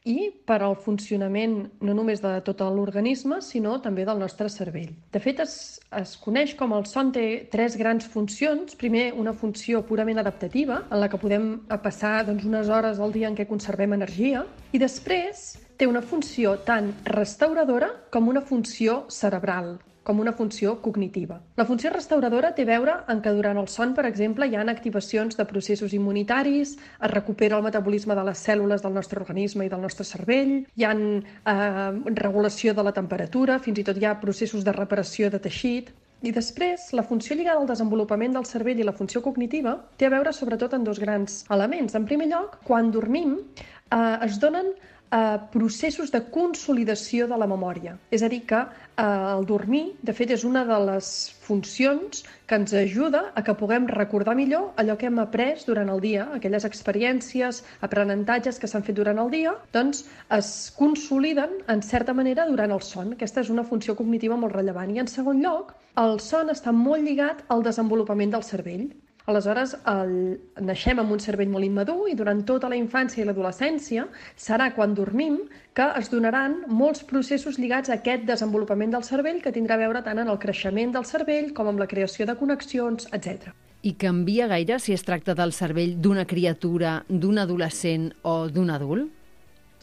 i per al funcionament no només de tot l'organisme, sinó també del nostre cervell. De fet, es, es coneix com el son té tres grans funcions. Primer, una funció purament adaptativa, en la que podem passar doncs, unes hores al dia en què conservem energia, i després té una funció tant restauradora com una funció cerebral, com una funció cognitiva. La funció restauradora té a veure en que durant el son, per exemple, hi ha activacions de processos immunitaris, es recupera el metabolisme de les cèl·lules del nostre organisme i del nostre cervell, hi ha eh, regulació de la temperatura, fins i tot hi ha processos de reparació de teixit. I després, la funció lligada al desenvolupament del cervell i la funció cognitiva té a veure sobretot en dos grans elements. En primer lloc, quan dormim, eh, es donen Uh, processos de consolidació de la memòria. És a dir, que uh, el dormir, de fet, és una de les funcions que ens ajuda a que puguem recordar millor allò que hem après durant el dia, aquelles experiències, aprenentatges que s'han fet durant el dia, doncs es consoliden, en certa manera, durant el son. Aquesta és una funció cognitiva molt rellevant. I, en segon lloc, el son està molt lligat al desenvolupament del cervell. Aleshores, el... naixem amb un cervell molt immadur i durant tota la infància i l'adolescència serà quan dormim que es donaran molts processos lligats a aquest desenvolupament del cervell que tindrà a veure tant en el creixement del cervell com amb la creació de connexions, etcètera. I canvia gaire si es tracta del cervell d'una criatura, d'un adolescent o d'un adult?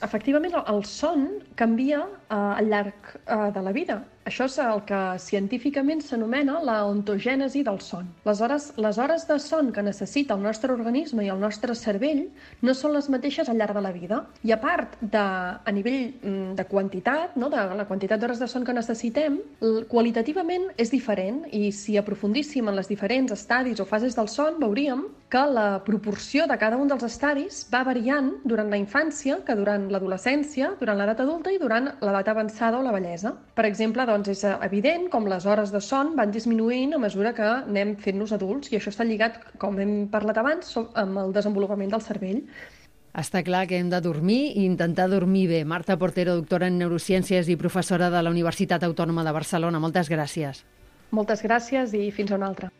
Efectivament, el son canvia eh, al llarg eh, de la vida. Això és el que científicament s'anomena la ontogènesi del son. Les hores, les hores de son que necessita el nostre organisme i el nostre cervell no són les mateixes al llarg de la vida. I a part de, a nivell de quantitat, no, de la quantitat d'hores de son que necessitem, qualitativament és diferent i si aprofundíssim en les diferents estadis o fases del son veuríem que la proporció de cada un dels estadis va variant durant la infància, que durant l'adolescència, durant l'edat adulta i durant l'edat avançada o la vellesa. Per exemple, doncs, és evident com les hores de son van disminuint a mesura que anem fent-nos adults i això està lligat, com hem parlat abans, amb el desenvolupament del cervell. Està clar que hem de dormir i intentar dormir bé. Marta Portero, doctora en neurociències i professora de la Universitat Autònoma de Barcelona. Moltes gràcies. Moltes gràcies i fins a una altra.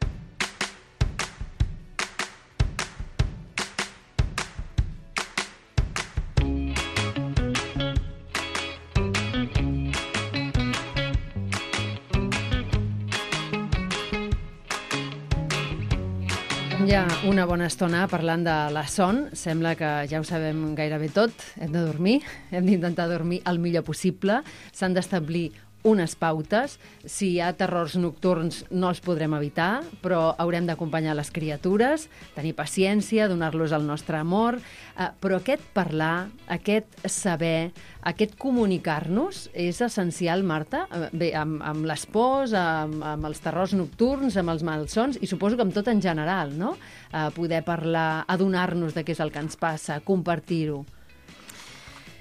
Ja una bona estona parlant de la son. Sembla que ja ho sabem gairebé tot. Hem de dormir, hem d'intentar dormir el millor possible. S'han d'establir unes pautes. Si hi ha terrors nocturns no els podrem evitar, però haurem d'acompanyar les criatures, tenir paciència, donar-los el nostre amor, eh, però aquest parlar, aquest saber, aquest comunicar-nos és essencial, Marta? Bé, amb, amb les pors, amb, amb els terrors nocturns, amb els malsons, i suposo que amb tot en general, no? Eh, poder parlar, adonar-nos de què és el que ens passa, compartir-ho.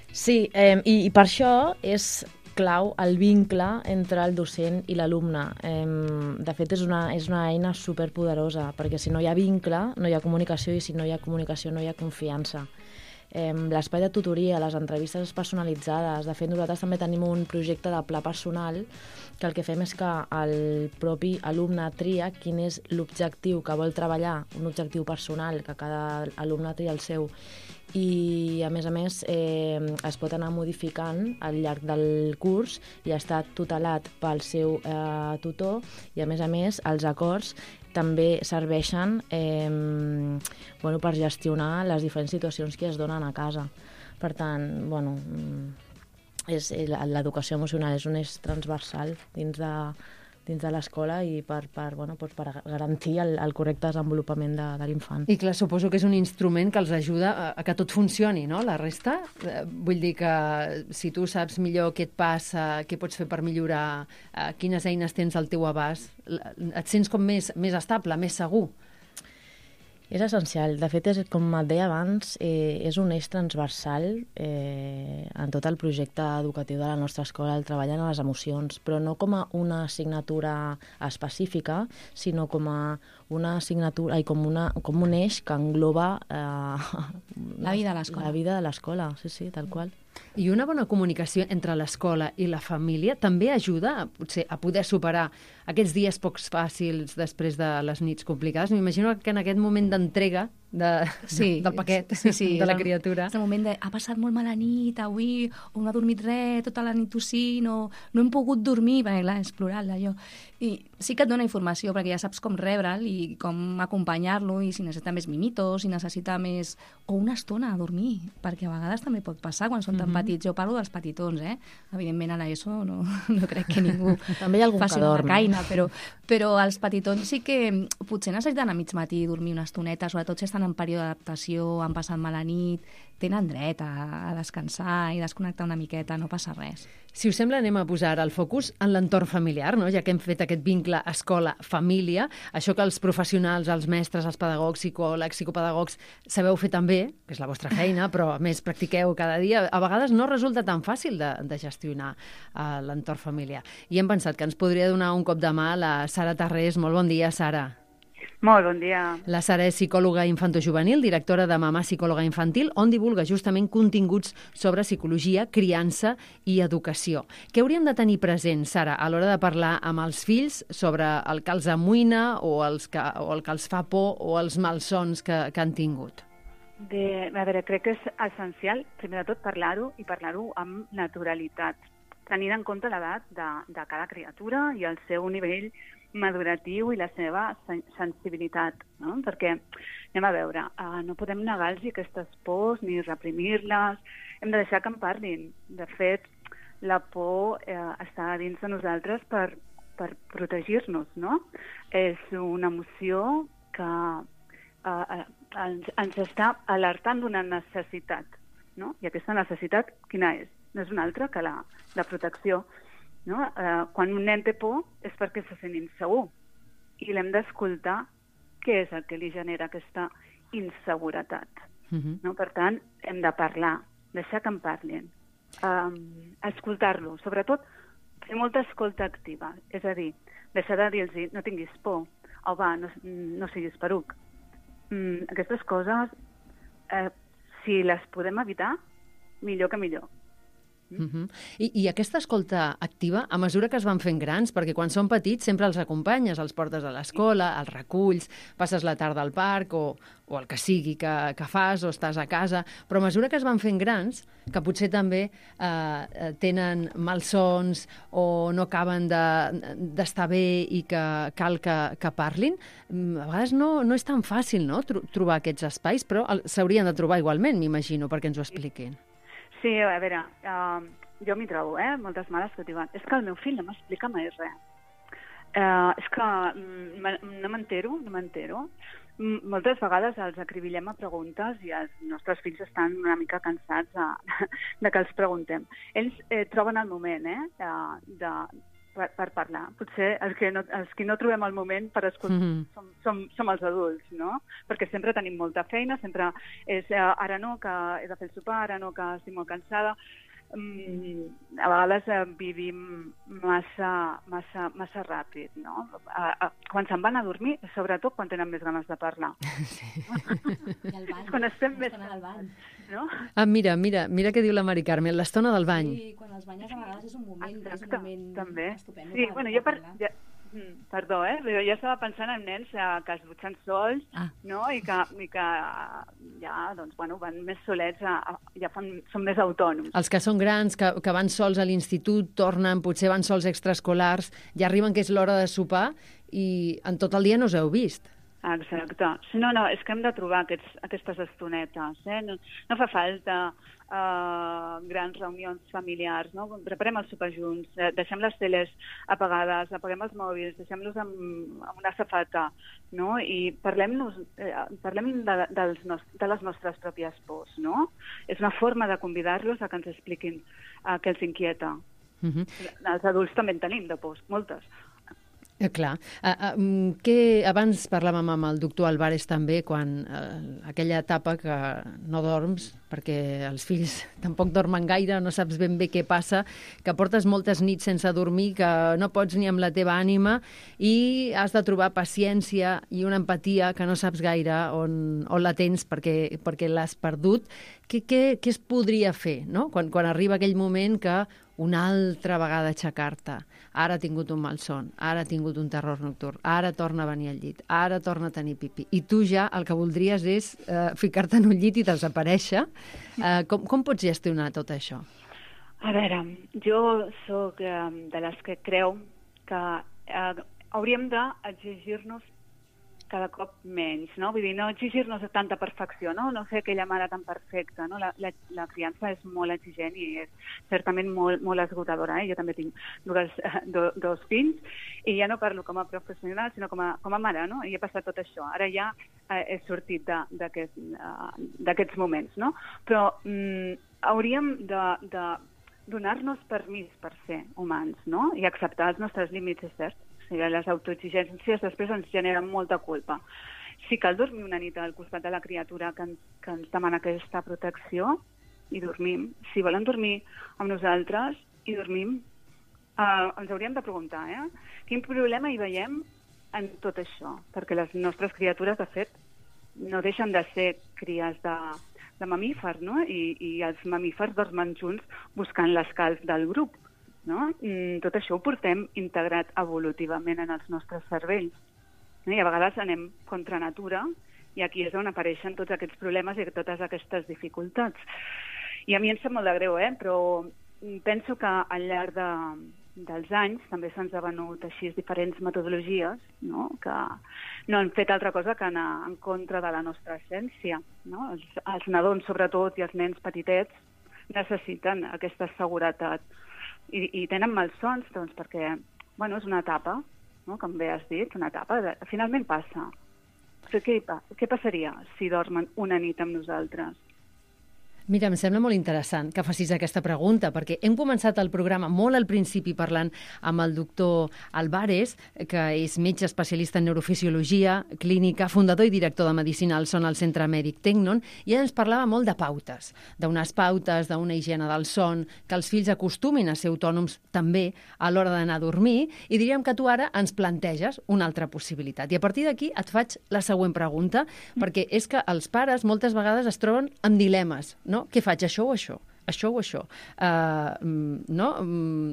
Sí, eh, i, i per això és clau el vincle entre el docent i l'alumne. Eh, de fet, és una, és una eina superpoderosa, perquè si no hi ha vincle, no hi ha comunicació, i si no hi ha comunicació, no hi ha confiança. Eh, l'espai de tutoria, les entrevistes personalitzades. De fet, nosaltres també tenim un projecte de pla personal que el que fem és que el propi alumne tria quin és l'objectiu que vol treballar, un objectiu personal, que cada alumne tria el seu, i a més a més eh, es pot anar modificant al llarg del curs i està tutelat pel seu eh, tutor, i a més a més els acords també serveixen eh, bueno, per gestionar les diferents situacions que es donen a casa. Per tant, bueno, és, l'educació emocional és un eix transversal dins de, dins de l'escola i per, per, bueno, per garantir el, el correcte desenvolupament de, de l'infant. I clar, suposo que és un instrument que els ajuda a, a que tot funcioni, no?, la resta. Eh, vull dir que si tu saps millor què et passa, què pots fer per millorar, eh, quines eines tens al teu abast, et sents com més, més estable, més segur. És essencial. De fet, és, com et deia abans, eh, és un eix transversal eh, en tot el projecte educatiu de la nostra escola, el treball en les emocions, però no com a una assignatura específica, sinó com a una assignatura, ai, com, una, com un eix que engloba eh, la vida de l'escola. La vida de l'escola, sí, sí, tal qual. I una bona comunicació entre l'escola i la família també ajuda potser a poder superar aquests dies pocs fàcils després de les nits complicades. M'imagino que en aquest moment d'entrega de, sí, del paquet sí, sí, de la el, criatura. És el moment de ha passat molt mala nit avui, o no ha dormit res, tota la nit tossint, o no hem pogut dormir, perquè clar, és plural allò. I sí que et dona informació, perquè ja saps com rebre'l i com acompanyar-lo, i si necessita més mimitos, si necessita més... o una estona a dormir, perquè a vegades també pot passar quan són tan mm-hmm. petits. Jo parlo dels petitons, eh? Evidentment a l'ESO no, no crec que ningú també hi ha algun faci que dorm. una caina, però, però els petitons sí que potser necessiten a mig matí dormir una estoneta, sobretot si estan en període d'adaptació, han passat mala nit, tenen dret a, a descansar i desconnectar una miqueta, no passa res. Si us sembla, anem a posar el focus en l'entorn familiar, no? Ja que hem fet aquest vincle escola-família, això que els professionals, els mestres, els pedagogs, psicòlegs, psicopedagogs, sabeu fer també, que és la vostra feina, però a més practiqueu cada dia, a vegades no resulta tan fàcil de, de gestionar uh, l'entorn familiar. I hem pensat que ens podria donar un cop de mà la Sara Tarrés. Molt bon dia, Sara. Molt bon dia. La Sara és psicòloga infantojuvenil, directora de Mamà Psicòloga Infantil, on divulga justament continguts sobre psicologia, criança i educació. Què hauríem de tenir present, Sara, a l'hora de parlar amb els fills sobre el que els amoïna o, els que, o el que els fa por o els malsons que, que han tingut? Bé, a veure, crec que és essencial, primer de tot, parlar-ho i parlar-ho amb naturalitat, tenint en compte l'edat de, de cada criatura i el seu nivell maduratiu i la seva sensibilitat, no? Perquè, anem a veure, uh, no podem negar-los aquestes pors ni reprimir-les, hem de deixar que en parlin. De fet, la por eh, està dins de nosaltres per, per protegir-nos, no? És una emoció que uh, ens, ens està alertant d'una necessitat, no? I aquesta necessitat, quina és? No és una altra que la, la protecció. No? Eh, quan un nen té por és perquè se sent insegur i l'hem d'escoltar què és el que li genera aquesta inseguretat. Uh-huh. No? Per tant, hem de parlar, deixar que en parlin, um, escoltar-lo, sobretot fer molta escolta activa, és a dir, deixar de dir-los no tinguis por, o va, no, no siguis peruc. Mm, aquestes coses, eh, si les podem evitar, millor que millor. Uh-huh. I, I aquesta escolta activa, a mesura que es van fent grans, perquè quan són petits sempre els acompanyes, els portes a l'escola, els reculls, passes la tarda al parc o, o el que sigui que, que fas o estàs a casa, però a mesura que es van fent grans, que potser també eh, tenen malsons o no acaben d'estar de, bé i que cal que, que parlin, a vegades no, no és tan fàcil, no?, tro trobar aquests espais, però s'haurien de trobar igualment, m'imagino, perquè ens ho expliquin. Sí, a veure, uh, jo m'hi trobo, eh? Moltes mares que diuen, és que el meu fill no m'explica mai res. Eh, és que mm, no m'entero, no m'entero. Moltes vegades els acribillem a preguntes i els nostres fills estan una mica cansats de, de que els preguntem. Ells eh, troben el moment eh, de, de, per, per parlar. Potser els que, no, els que no trobem el moment per escoltar mm-hmm. som, som, som els adults, no? Perquè sempre tenim molta feina, sempre és eh, ara no, que he de fer el sopar, ara no, que estic molt cansada. Mm, a vegades eh, vivim massa, massa, massa ràpid, no? A, a, quan se'n van a dormir, sobretot quan tenen més ganes de parlar. Sí. I al bany, quan estem més... al bany. No? Ah, mira, mira, mira què diu la Mari Carmen, l'estona del bany. Sí, quan els banyes a vegades és un moment, Exacte, és un moment també. estupendo. Sí, per, bueno, per jo per... Ja, perdó, eh? Però jo estava pensant en nens eh, que es dutxen sols, ah. no? I que, i que ja, doncs, bueno, van més solets, a, a, ja fan, són més autònoms. Els que són grans, que, que van sols a l'institut, tornen, potser van sols extraescolars, ja arriben que és l'hora de sopar i en tot el dia no us heu vist. Exacte. No, no, és que hem de trobar aquests, aquestes estonetes. Eh? No, no fa falta uh, grans reunions familiars, no? Preparem el sopar junts, eh, deixem les teles apagades, apaguem els mòbils, deixem-los amb, amb una safata, no? I parlem-nos, eh, parlem de, dels nos, de les nostres pròpies pors, no? És una forma de convidar-los a que ens expliquin uh, què els inquieta. Mm-hmm. Els adults també en tenim de pors, moltes. Eh, clar. Uh, uh, que abans parlàvem amb el doctor Álvarez també, quan uh, aquella etapa que no dorms, perquè els fills tampoc dormen gaire, no saps ben bé què passa, que portes moltes nits sense dormir, que no pots ni amb la teva ànima i has de trobar paciència i una empatia que no saps gaire on, on la tens perquè, perquè l'has perdut. Què, què, què es podria fer, no? Quan, quan arriba aquell moment que una altra vegada aixecar-te, ara ha tingut un malson, ara ha tingut un terror nocturn, ara torna a venir al llit, ara torna a tenir pipí. I tu ja el que voldries és eh, ficar-te en un llit i desaparèixer. Eh, com, com pots gestionar tot això? A veure, jo sóc eh, de les que creu que eh, hauríem d'exigir-nos cada cop menys, no? Vull dir, no exigir-nos tanta perfecció, no? No fer aquella mare tan perfecta, no? La, la, la criança és molt exigent i és certament molt, molt esgotadora, eh? Jo també tinc dues, do, dos fills i ja no parlo com a professional, sinó com a, com a mare, no? I he passat tot això. Ara ja eh, he sortit d'aquests aquest, uh, moments, no? Però mm, hauríem de, de donar-nos permís per ser humans, no? I acceptar els nostres límits, és cert. O sigui, les autoexigències després ens generen molta culpa. Si cal dormir una nit al costat de la criatura que ens, que ens demana aquesta protecció, i dormim. Si volen dormir amb nosaltres i dormim, eh, ens hauríem de preguntar, eh? Quin problema hi veiem en tot això? Perquè les nostres criatures, de fet, no deixen de ser cries de, de mamífers, no? I, i els mamífers dormen junts buscant l'escalf del grup. No? Tot això ho portem integrat evolutivament en els nostres cervells. I a vegades anem contra natura i aquí és on apareixen tots aquests problemes i totes aquestes dificultats. I a mi em sap molt de greu, eh? Però penso que al llarg de, dels anys també se'ns ha venut així diferents metodologies, no? Que no han fet altra cosa que anar en contra de la nostra essència. No? Els, els nadons, sobretot, i els nens petitets necessiten aquesta seguretat. I, i tenen malsons, doncs, perquè, bueno, és una etapa, no? Com bé has dit, una etapa, de, finalment passa. Però què, què passaria si dormen una nit amb nosaltres? Mira, em sembla molt interessant que facis aquesta pregunta, perquè hem començat el programa molt al principi parlant amb el doctor Álvarez, que és metge especialista en neurofisiologia clínica, fundador i director de Medicina al Son al Centre Mèdic Tecnon, i ens parlava molt de pautes, d'unes pautes, d'una higiene del son, que els fills acostumin a ser autònoms també a l'hora d'anar a dormir, i diríem que tu ara ens planteges una altra possibilitat. I a partir d'aquí et faig la següent pregunta, perquè és que els pares moltes vegades es troben amb dilemes, no? Què faig, això o això? Això o això? Uh, no?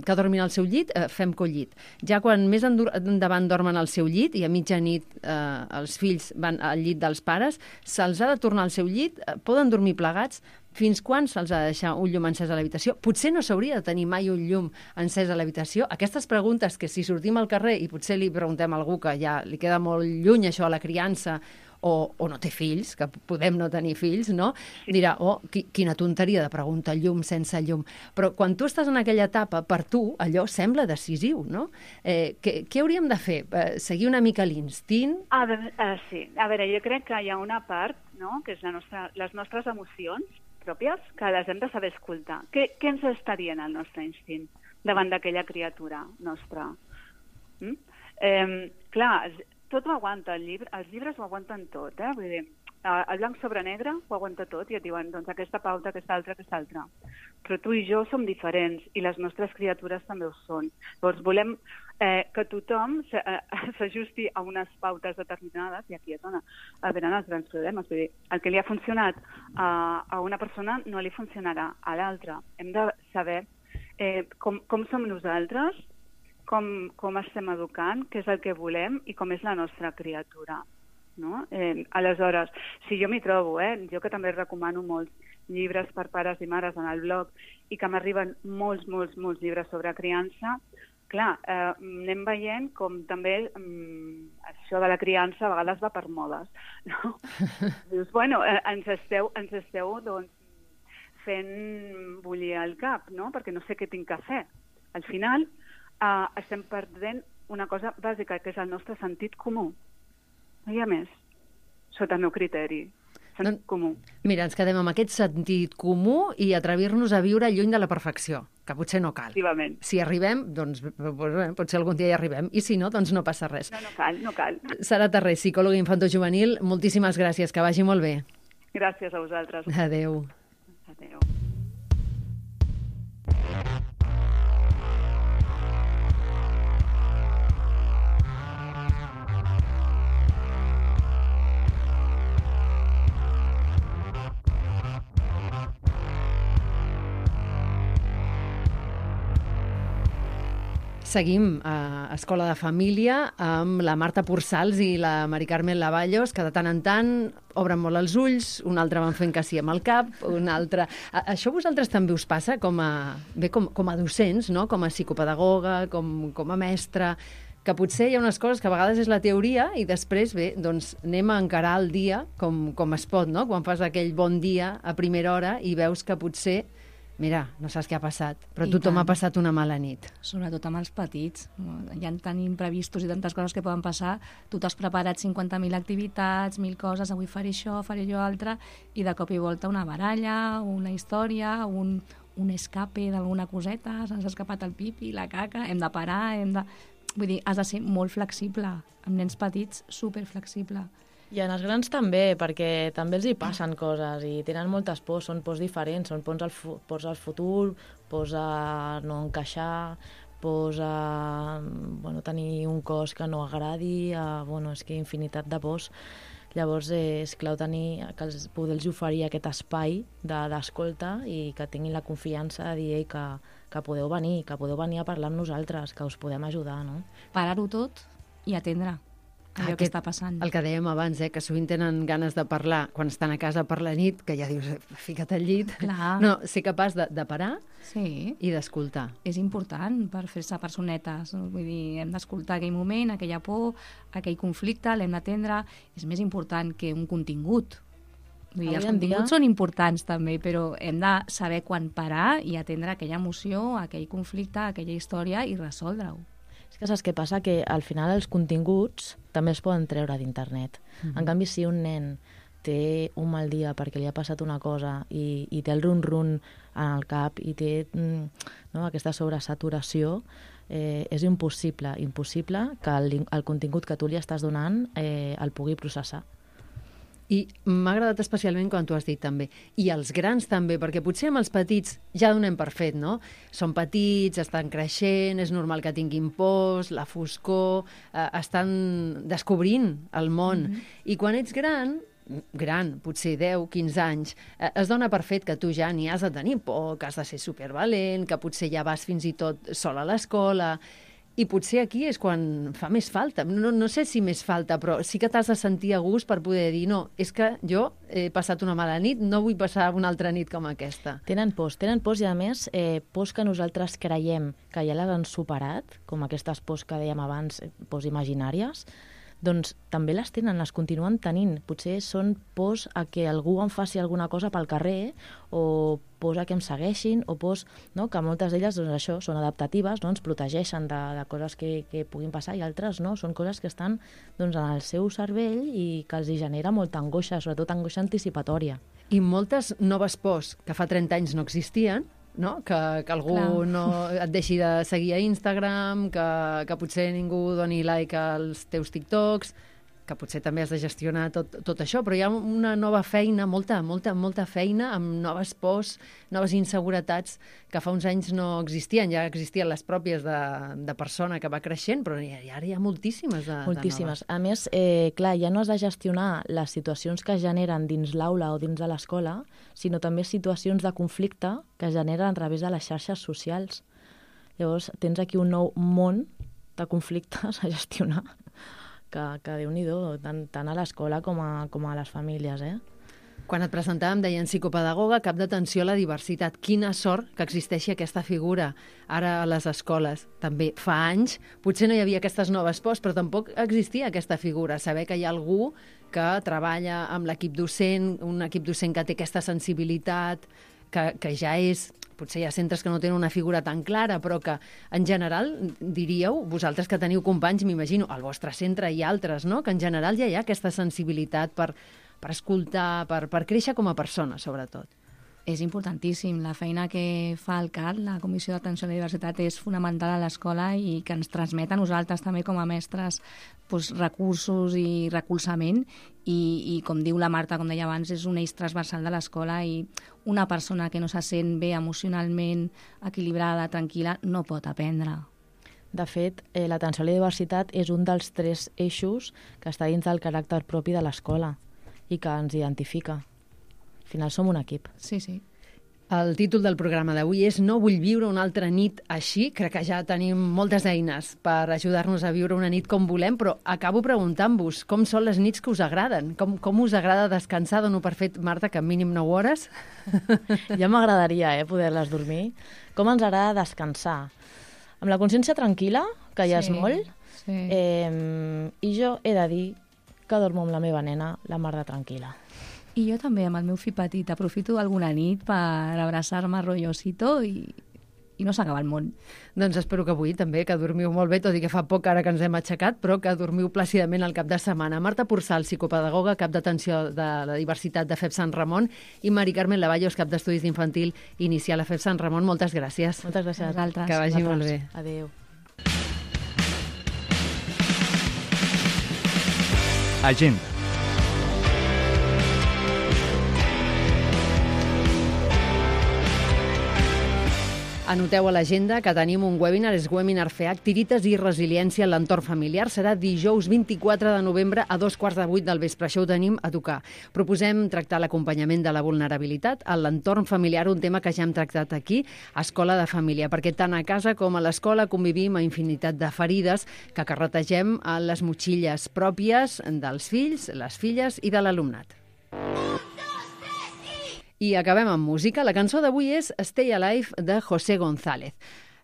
Que dormin al seu llit, uh, fem collit. Ja quan més endavant dormen al seu llit i a mitja nit uh, els fills van al llit dels pares, se'ls ha de tornar al seu llit, uh, poden dormir plegats, fins quan se'ls ha de deixar un llum encès a l'habitació? Potser no s'hauria de tenir mai un llum encès a l'habitació? Aquestes preguntes que si sortim al carrer i potser li preguntem a algú que ja li queda molt lluny això a la criança, o, o no té fills, que podem no tenir fills, no? Dirà, oh, qui, quina tonteria de preguntar llum sense llum. Però quan tu estàs en aquella etapa, per tu, allò sembla decisiu, no? Eh, què, què hauríem de fer? Eh, seguir una mica l'instint? A veure, uh, sí. A veure, jo crec que hi ha una part, no?, que és la nostra, les nostres emocions pròpies, que les hem de saber escoltar. Què, què ens està dient el nostre instint davant d'aquella criatura nostra? Mm? Eh, clar, tot ho aguanta, el llibre, els llibres ho aguanten tot, eh? Vull dir, el blanc sobre negre ho aguanta tot i et diuen, doncs aquesta pauta, aquesta altra, aquesta altra. Però tu i jo som diferents i les nostres criatures també ho són. Llavors volem eh, que tothom s'ajusti a unes pautes determinades i aquí és on venen els grans problemes. Vull dir, el que li ha funcionat a, a una persona no li funcionarà a l'altra. Hem de saber eh, com, com som nosaltres, Com, com estem educant, què és el que volem i com és la nostra criatura. No? Eh, aleshores, si jo m'hi trobo, eh, jo que també recomano molts llibres per pares i mares en el blog i que m'arriben molts, molts, molts llibres sobre criança, clar, eh, anem veient com també mm, això de la criança a vegades va per modes. No? Dius, bueno, eh, ens esteu, ens esteu doncs, fent bullir el cap, no? Perquè no sé què tinc que fer. Al final, Uh, estem perdent una cosa bàsica, que és el nostre sentit comú. No hi ha més, sota el meu criteri. Sentit no, comú. Mira, ens quedem amb aquest sentit comú i atrevir-nos a viure lluny de la perfecció, que potser no cal. Si arribem, doncs bé, potser algun dia hi arribem, i si no, doncs no passa res. No, no cal, no cal. Sara Terrés, psicòloga infantojuvenil, moltíssimes gràcies, que vagi molt bé. Gràcies a vosaltres. Adéu. Adéu. Seguim a Escola de Família amb la Marta Pursals i la Mari Carmen Lavallos, que de tant en tant obren molt els ulls, un altre van fent que sí amb el cap, un altre... Això a vosaltres també us passa com a, bé, com, com a docents, no? Com a psicopedagoga, com, com a mestra, que potser hi ha unes coses que a vegades és la teoria i després, bé, doncs anem a encarar el dia com, com es pot, no? Quan fas aquell bon dia a primera hora i veus que potser... Mira, no saps què ha passat, però I tothom tant. ha passat una mala nit. Sobretot amb els petits. Hi ha tant imprevistos i tantes coses que poden passar. Tu t'has preparat cinquanta mil activitats, mil coses, avui faré això, faré allò altre, i de cop i volta una baralla, una història, un, un escape d'alguna coseta, s'ha escapat el pipi, la caca, hem de parar, hem de... Vull dir, has de ser molt flexible. Amb nens petits, superflexible. I en els grans també, perquè també els hi passen coses i tenen moltes pors, són pors diferents, són pors al, fu pors al futur, pors a no encaixar, pors a bueno, tenir un cos que no agradi, a, bueno, és que infinitat de pors. Llavors eh, és clau tenir, que els, poder-los oferir aquest espai d'escolta de, i que tinguin la confiança de dir que, que podeu venir, que podeu venir a parlar amb nosaltres, que us podem ajudar, no? Parar-ho tot i atendre allò Aquest, que està passant. El que dèiem abans, eh, que sovint tenen ganes de parlar quan estan a casa per la nit, que ja dius, fica't al llit. Clar. No, ser capaç de, de parar sí. i d'escoltar. És important per fer-se personetes. Vull dir, hem d'escoltar aquell moment, aquella por, aquell conflicte, l'hem d'atendre. És més important que un contingut. Vull dir, els continguts dia... són importants també, però hem de saber quan parar i atendre aquella emoció, aquell conflicte, aquella història i resoldre-ho. És que saps què passa? Que al final els continguts també es poden treure d'internet. Mm-hmm. En canvi, si un nen té un mal dia perquè li ha passat una cosa i, i té el run-run en el cap i té no, aquesta sobresaturació, eh, és impossible, impossible que el, el contingut que tu li estàs donant eh, el pugui processar. I m'ha agradat especialment quan tu has dit també, i els grans també, perquè potser amb els petits ja donem per fet, no? Són petits, estan creixent, és normal que tinguin pors, la foscor, eh, estan descobrint el món. Mm-hmm. I quan ets gran, gran, potser deu, quinze anys, eh, es dona per fet que tu ja n'hi has de tenir por, que has de ser supervalent, que potser ja vas fins i tot sol a l'escola. I potser aquí és quan fa més falta. No, no sé si més falta, però sí que t'has de sentir a gust per poder dir no, és que jo he passat una mala nit, no vull passar una altra nit com aquesta. Tenen pors, tenen pors i a més eh, pors que nosaltres creiem que ja les han superat, com aquestes pors que dèiem abans, pors imaginàries, doncs també les tenen, les continuen tenint. Potser són pors a que algú em faci alguna cosa pel carrer, o pors a que em segueixin, o pors, no?, que moltes d'elles doncs, això, són adaptatives, no?, ens protegeixen de, de coses que, que puguin passar, i altres no, són coses que estan doncs, en el seu cervell i que els hi genera molta angoixa, sobretot angoixa anticipatòria. I moltes noves pors que fa trenta anys no existien, no? Que, que algú Clar. no et deixi de seguir a Instagram, que, que potser ningú doni like als teus TikToks, que potser també has de gestionar tot, tot això, però hi ha una nova feina, molta, molta, molta feina, amb noves pors, noves inseguretats que fa uns anys no existien. Ja existien les pròpies de, de persona que va creixent, però ja, ara hi ha moltíssimes de, moltíssimes. de noves. A més, eh, clar, ja no has de gestionar les situacions que es generen dins l'aula o dins de l'escola, sinó també situacions de conflicte que es generen a través de les xarxes socials. Llavors, tens aquí un nou món de conflictes a gestionar, que, que Déu-n'hi-do, tant, tant a l'escola com a, com a les famílies, eh? Quan et presentàvem deien psicopedagoga, cap d'atenció a la diversitat. Quina sort que existeixi aquesta figura ara a les escoles. També fa anys, potser no hi havia aquestes noves pors, però tampoc existia aquesta figura. Saber que hi ha algú que treballa amb l'equip docent, un equip docent que té aquesta sensibilitat, que, que ja és... Potser hi ha centres que no tenen una figura tan clara, però que, en general, diríeu, vosaltres que teniu companys, m'imagino, al vostre centre i altres, no?, que en general ja hi ha aquesta sensibilitat per, per escoltar, per, per créixer com a persona, sobretot. És importantíssim. La feina que fa el C A D, la Comissió d'Atenció a la Diversitat, és fonamental a l'escola i que ens transmet a nosaltres també com a mestres doncs, recursos i recolzament i, i, com diu la Marta, com deia abans, és un eix transversal de l'escola i una persona que no se sent bé emocionalment, equilibrada, tranquil·la, no pot aprendre. De fet, eh, l'atenció a la diversitat és un dels tres eixos que està dins del caràcter propi de l'escola i que ens identifica. Al final som un equip. Sí, sí. El títol del programa d'avui és No vull viure una altra nit així. Crec que ja tenim moltes eines per ajudar-nos a viure una nit com volem, però acabo preguntant-vos com són les nits que us agraden. Com, com us agrada descansar? Dono per fet, Marta, que mínim nou hores. Ja m'agradaria eh, poder-les dormir. Com ens agrada descansar? Amb la consciència tranquil·la, que ja sí, és molt, sí. eh, i jo he de dir que dormo amb la meva nena la mar de tranquil·la. I jo també, amb el meu fill petit, aprofito alguna nit per abraçar-me rotllosito i, i no s'acaba el món. Doncs espero que avui també, que dormiu molt bé, tot i que fa poc ara que ens hem aixecat, però que dormiu plàcidament al cap de setmana. Marta Porçal, psicopedagoga, cap d'atenció de la diversitat de F E P Sant Ramon, i Mari Carmen Lavallos, cap d'estudis d'infantil inicial a F E P Sant Ramon. Moltes gràcies. Moltes gràcies a vosaltres. Que vagi molt bé. Adéu. Agenda. Anoteu a l'agenda que tenim un webinar, és Webinar F E A C, Tirites i resiliència en l'entorn familiar. Serà dijous vint-i-quatre de novembre a dos quarts de vuit del vespre. Això ho tenim a tocar. Proposem tractar l'acompanyament de la vulnerabilitat a l'entorn familiar, un tema que ja hem tractat aquí, a Escola de Família, perquè tant a casa com a l'escola convivim a infinitat de ferides que carretegem a les motxilles pròpies dels fills, les filles i de l'alumnat. I acabem amb música. La cançó d'avui és Stay Alive de José González.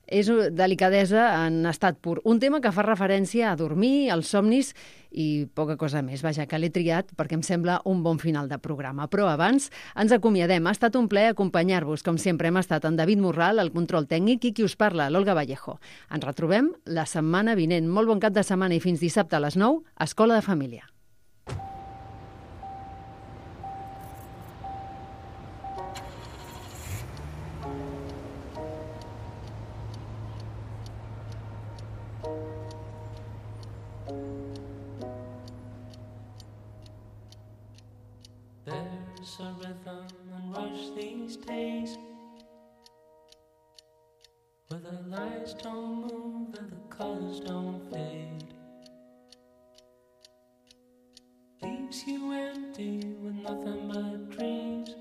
És delicadesa en estat pur. Un tema que fa referència a dormir, als somnis i poca cosa més. Vaja, que l'he triat perquè em sembla un bon final de programa. Però abans ens acomiadem. Ha estat un plaer acompanyar-vos. Com sempre hem estat en David Morral, el control tècnic, i qui us parla, l'Olga Vallejo. Ens retrobem la setmana vinent. Molt bon cap de setmana i fins dissabte a les nou, a Escola de Família. There's a rhythm and rush these days where the lights don't move and the colors don't fade. Leaves you empty with nothing but dreams.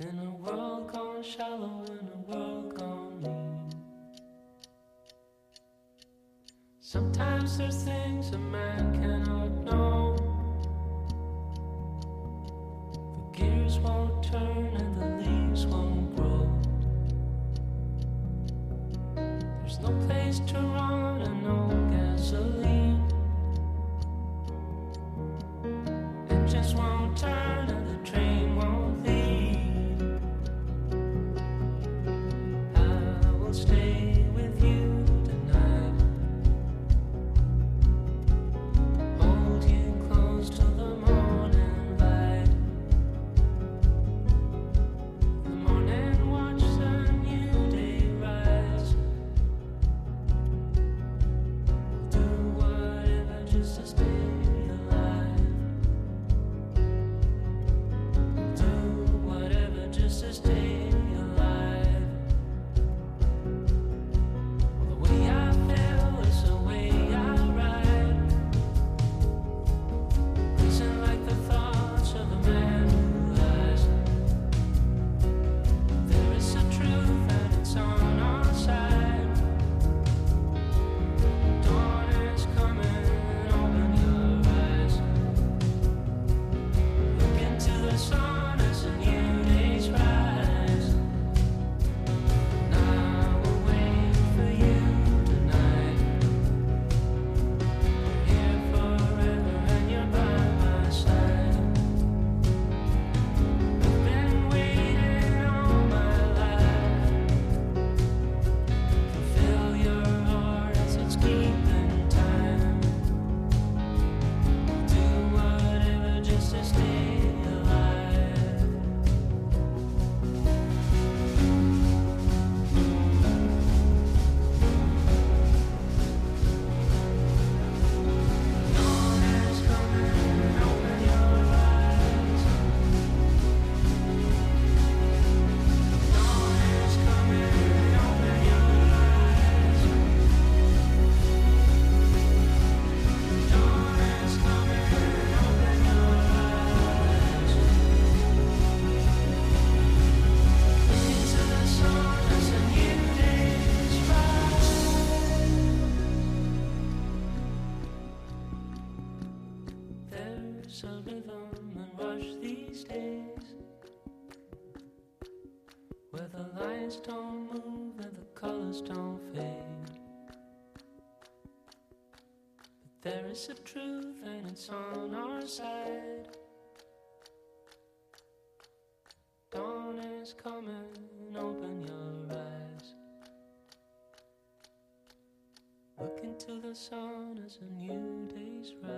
In a world gone shallow, in a world gone mean. Sometimes there's things a man cannot know. The gears won't turn and the leaves won't grow. There's no place to run and no gasoline. Engines won't turn and the train won't leave. I will stay with you tonight. Hold you close till the morning light. In the morning watch the new day rise. Do whatever just to stay alive. Do whatever just to stay alive. The way I feel is the way I ride. Isn't like the thoughts of a man who lies. There is a truth and it's on our side. Dawn is coming, open your eyes. Look into the sun as a new day's rise. And I will wait for you tonight. You're here forever and you're by my side. I've been waiting all my life. Fulfill your heart as it's keeping time. Do whatever just to stay alive. Dawn is coming, open your eyes. Dawn is coming, open your eyes. Dawn is coming, open your eyes. Look into the sun as a new day's rise. There's a rhythm and rush these days where the lines don't move and the colors don't fade. But there is a truth and it's on our side. Dawn is coming, open your eyes. Look into the sun as a new day's rise.